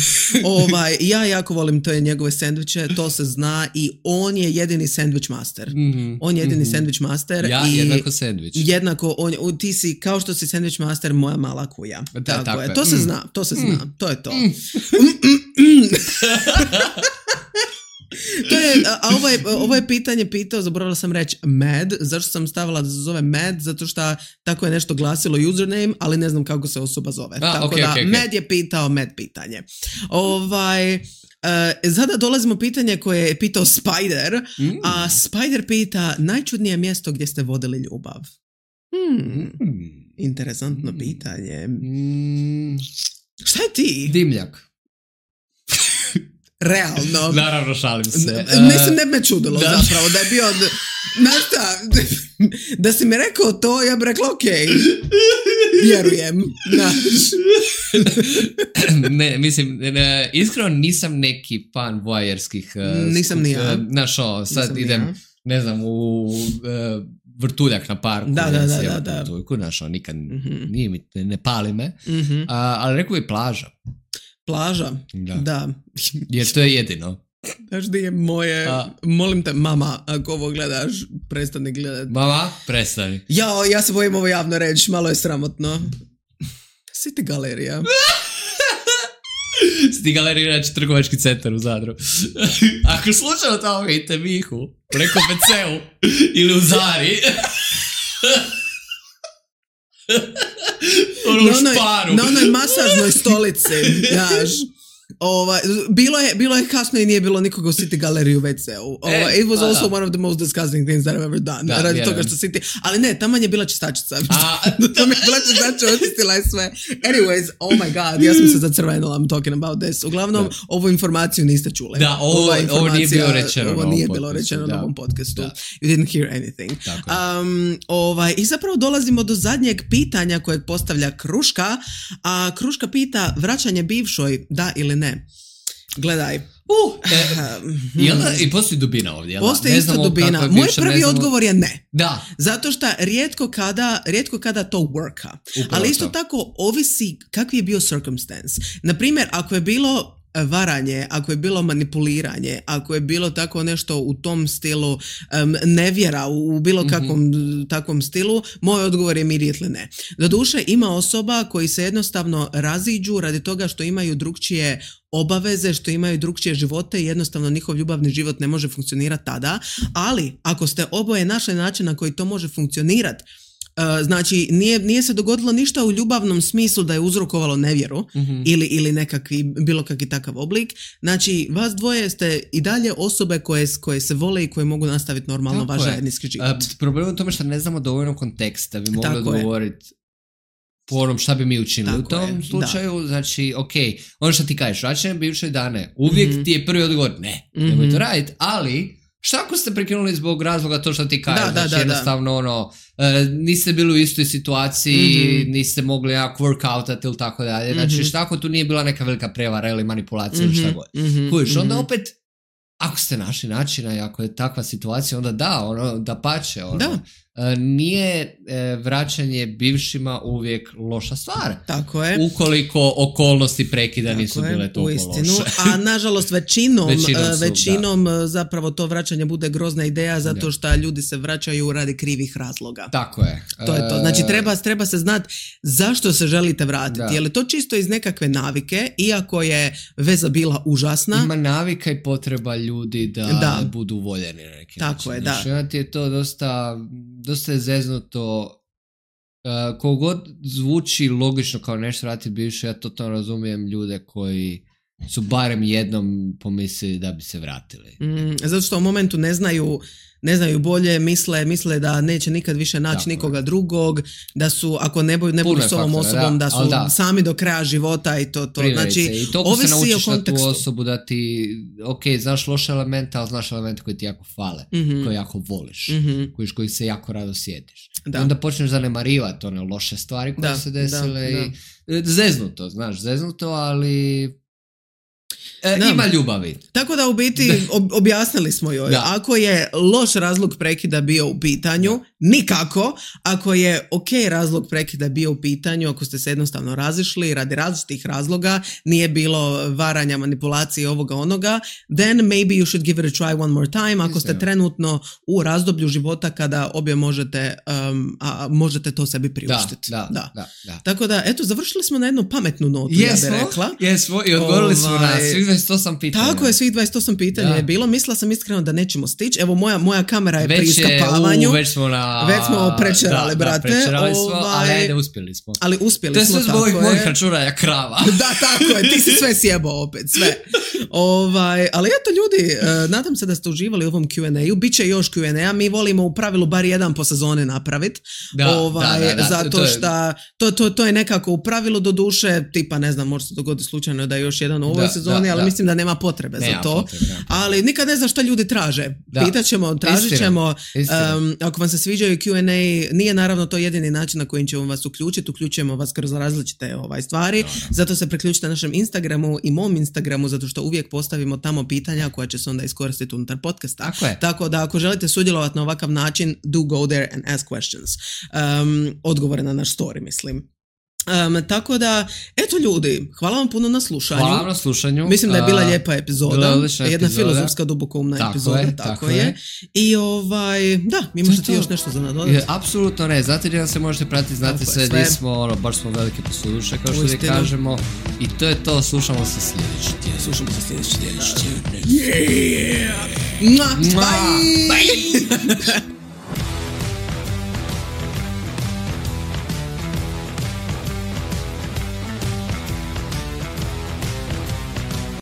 Speaker 1: Ja jako volim te njegove sendviče, to se zna i on je jedini sandwich master. On je jedini sandwich master.
Speaker 2: Ja jednako sandvič.
Speaker 1: Jednako, ti si, kao što si sandwich master, moja mala kuja. Tako je. To se zna, to je to. Ovo je pitanje pitao, zaboravila sam reći Mad. Zašto sam stavila da se zove Mad? Zato što tako je nešto glasilo username, ali ne znam kako se osoba zove. Okay. Mad je pitao Mad pitanje. Sada dolazimo pitanje koje je pitao Spider, a Spider pita najčudnije mjesto gdje ste vodili ljubav. Interesantno pitanje. Šta je ti?
Speaker 2: Dimljak.
Speaker 1: Realno.
Speaker 2: Naravno, šalim se.
Speaker 1: Mislim, ne bi me čudilo zapravo da je bio... Znaš šta, da si mi rekao to, ja bih rekla okej. Vjerujem.
Speaker 2: Ne, mislim, iskreno nisam neki fan voajerskih...
Speaker 1: Nisam ni ja.
Speaker 2: Znaš, sad idem, ne znam, u vrtuljak na parku.
Speaker 1: Da.
Speaker 2: Znaš, nikad nije mi, ne pali me. Ali rekao bi plaža.
Speaker 1: Plaža? Da.
Speaker 2: Jer to je jedino.
Speaker 1: Znaš di je moje... Molim te, mama, ako ovo gledaš, prestani gledati.
Speaker 2: Mama, prestani.
Speaker 1: Ja se bojim ovo javno reći, malo je sramotno. City galerija.
Speaker 2: City galerija je trgovački centar u Zadru. Ako slučajno tamo vidite Mihu, preko PC-u ili u Zari...
Speaker 1: Na onoj masažnoj stolici, znaš. Bilo je kasno i nije bilo nikoga u City galeriju u WC-u. It was also one of the most disgusting things that I've ever done. Radi toga što City... Ali ne, tamo je bila čistačica. Tamo je bila čistačica, očistila je sve. Anyways, oh my god, ja sam se zacrvenila, I'm talking about this. Uglavnom, ovu informaciju niste čuli.
Speaker 2: Da, ovo nije bilo rečeno.
Speaker 1: Ovo nije bilo rečeno na ovom podcastu. You didn't hear anything. I zapravo dolazimo do zadnjeg pitanja kojeg postavlja Kruška, a Kruška pita vraćanje bivšoj, da ili ne. Gledaj.
Speaker 2: I postoji dubina ovdje.
Speaker 1: Postoji isto dubina. Moj prvi odgovor je ne.
Speaker 2: Da.
Speaker 1: Zato što rijetko kada to worka. Ali isto tako ovisi kakvi je bio circumstance. Naprimjer, ako je bilo varanje, ako je bilo manipuliranje, ako je bilo tako nešto u tom stilu, nevjera u bilo kakvom takvom stilu, moj odgovor je immediately ne. Doduše, ima osoba koji se jednostavno raziđu radi toga što imaju drukčije obaveze, što imaju drukčije živote i jednostavno njihov ljubavni život ne može funkcionirati tada, ali ako ste oboje našli način na koji to može funkcionirati, znači nije se dogodilo ništa u ljubavnom smislu da je uzrokovalo nevjeru ili bilo kakvi takav oblik. Znači vas dvoje ste i dalje osobe koje se vole i koje mogu nastaviti normalno vaš zajednički život.
Speaker 2: Problem je u tome što ne znamo dovoljno konteksta, bi mogli odgovoriti po onom šta bi mi učinili u tom slučaju. Znači, ono što ti kažeš, vraćanje bivše dane, uvijek ti je prvi odgovor ne, nemoj to raditi, ali šta ako ste prekinuli zbog razloga to što ti kažeš, jednostavno niste bili u istoj situaciji, niste mogli nekako workoutati ili tako dalje, znači šta ako tu nije bila neka velika prevara ili manipulacija ili šta god. Kužiš, onda opet ako ste našli načina i ako je takva situacija, onda da pače. Nije vraćanje bivšima uvijek loša stvar.
Speaker 1: Tako je.
Speaker 2: Ukoliko okolnosti prekida nisu bile toliko loše.
Speaker 1: A nažalost većinom zapravo to vraćanje bude grozna ideja zato što ljudi se vraćaju radi krivih razloga.
Speaker 2: Tako je.
Speaker 1: To je to. Znači treba se znati zašto se želite vratiti. Je li to čisto iz nekakve navike, iako je veza bila užasna?
Speaker 2: Ima navika i potreba ljudi da budu voljeni na neki način.
Speaker 1: Tako je, da.
Speaker 2: Znači, je to dosta je zeznuto. Kogod zvuči logično kao nešto vratiti bivše, ja totalno razumijem ljude koji su barem jednom pomislili da bi se vratili.
Speaker 1: Zato što u momentu ne znaju bolje, misle da neće nikad više naći nikoga drugog, da su, ako ne budu s ovom osobom, da su sami do kraja života i to. Znači,
Speaker 2: i toliko se naučiš na tu osobu da ti, znaš loše elemente, ali znaš elemente koji ti jako fale, koje jako voliš, koji se jako rado sjetiš. I onda počneš zanemarivati one loše stvari koje se desile i zeznuto, ali... Ima ljubavi.
Speaker 1: Tako da u biti objasnili smo joj. Ako je loš razlog prekida bio u pitanju, nikako. Ako je razlog prekida bio u pitanju, ako ste se jednostavno razišli radi različitih razloga, nije bilo varanja, manipulacije, ovoga onoga, then maybe you should give it a try one more time. Ako ste trenutno u razdoblju života kada obje možete to sebi priuštiti.
Speaker 2: Da.
Speaker 1: Tako da, eto, završili smo na jednu pametnu notu, ja bih rekla.
Speaker 2: Jesmo, i odgovorili smo na svih 28 pitanja.
Speaker 1: Tako je, svih 28 pitanja je bilo. Mislila sam iskreno da nećemo stići. Evo, moja kamera je pri iskapavanju.
Speaker 2: Već smo
Speaker 1: prečerali, brate.
Speaker 2: Prečerali smo, ali uspjeli smo.
Speaker 1: Ali uspjeli smo,
Speaker 2: tako je. To je sve zbog mojih računa krava.
Speaker 1: Da, tako je, ti si sve sjebao opet, sve. Ali eto ljudi, nadam se da ste uživali u ovom Q&A-u. Biće još Q&A, mi volimo u pravilu bar jedan po sezone napraviti. Zato što to je nekako u pravilu do duše, tipa ne znam, može se dogoditi slučajno da je još jedan u ovoj sezoni, ali mislim da nema potrebe za to. Ali nikad ne znam šta ljudi traže. Pitaćemo, tražit ćemo. Ako vam se sviđaju Q&A, nije naravno to jedini način na kojim ćemo vas uključujemo vas kroz različite stvari. Zato se priključite našem Instagramu i mom Instagramu, zato što uvijek postavimo tamo pitanja koja će se onda iskoristiti unutar podcasta. Tako da ako želite sudjelovati na ovakav način, do go there and ask questions. Odgovore na naš story, mislim. Tako da, eto ljudi, hvala vam puno na slušanju.
Speaker 2: Hvala vam na slušanju.
Speaker 1: Mislim da je bila lijepa epizoda. Jedna filozofska, dubokoumna epizoda. Tako je. I da, imaš ti još nešto za nadodati?
Speaker 2: Apsolutno ne, znate gdje nam se možete pratiti, znate sve gdje smo, baš smo velike posluduše, kao što li kažemo. I to je to, slušamo se sljedeći tjedan.
Speaker 1: Yeah! Bye!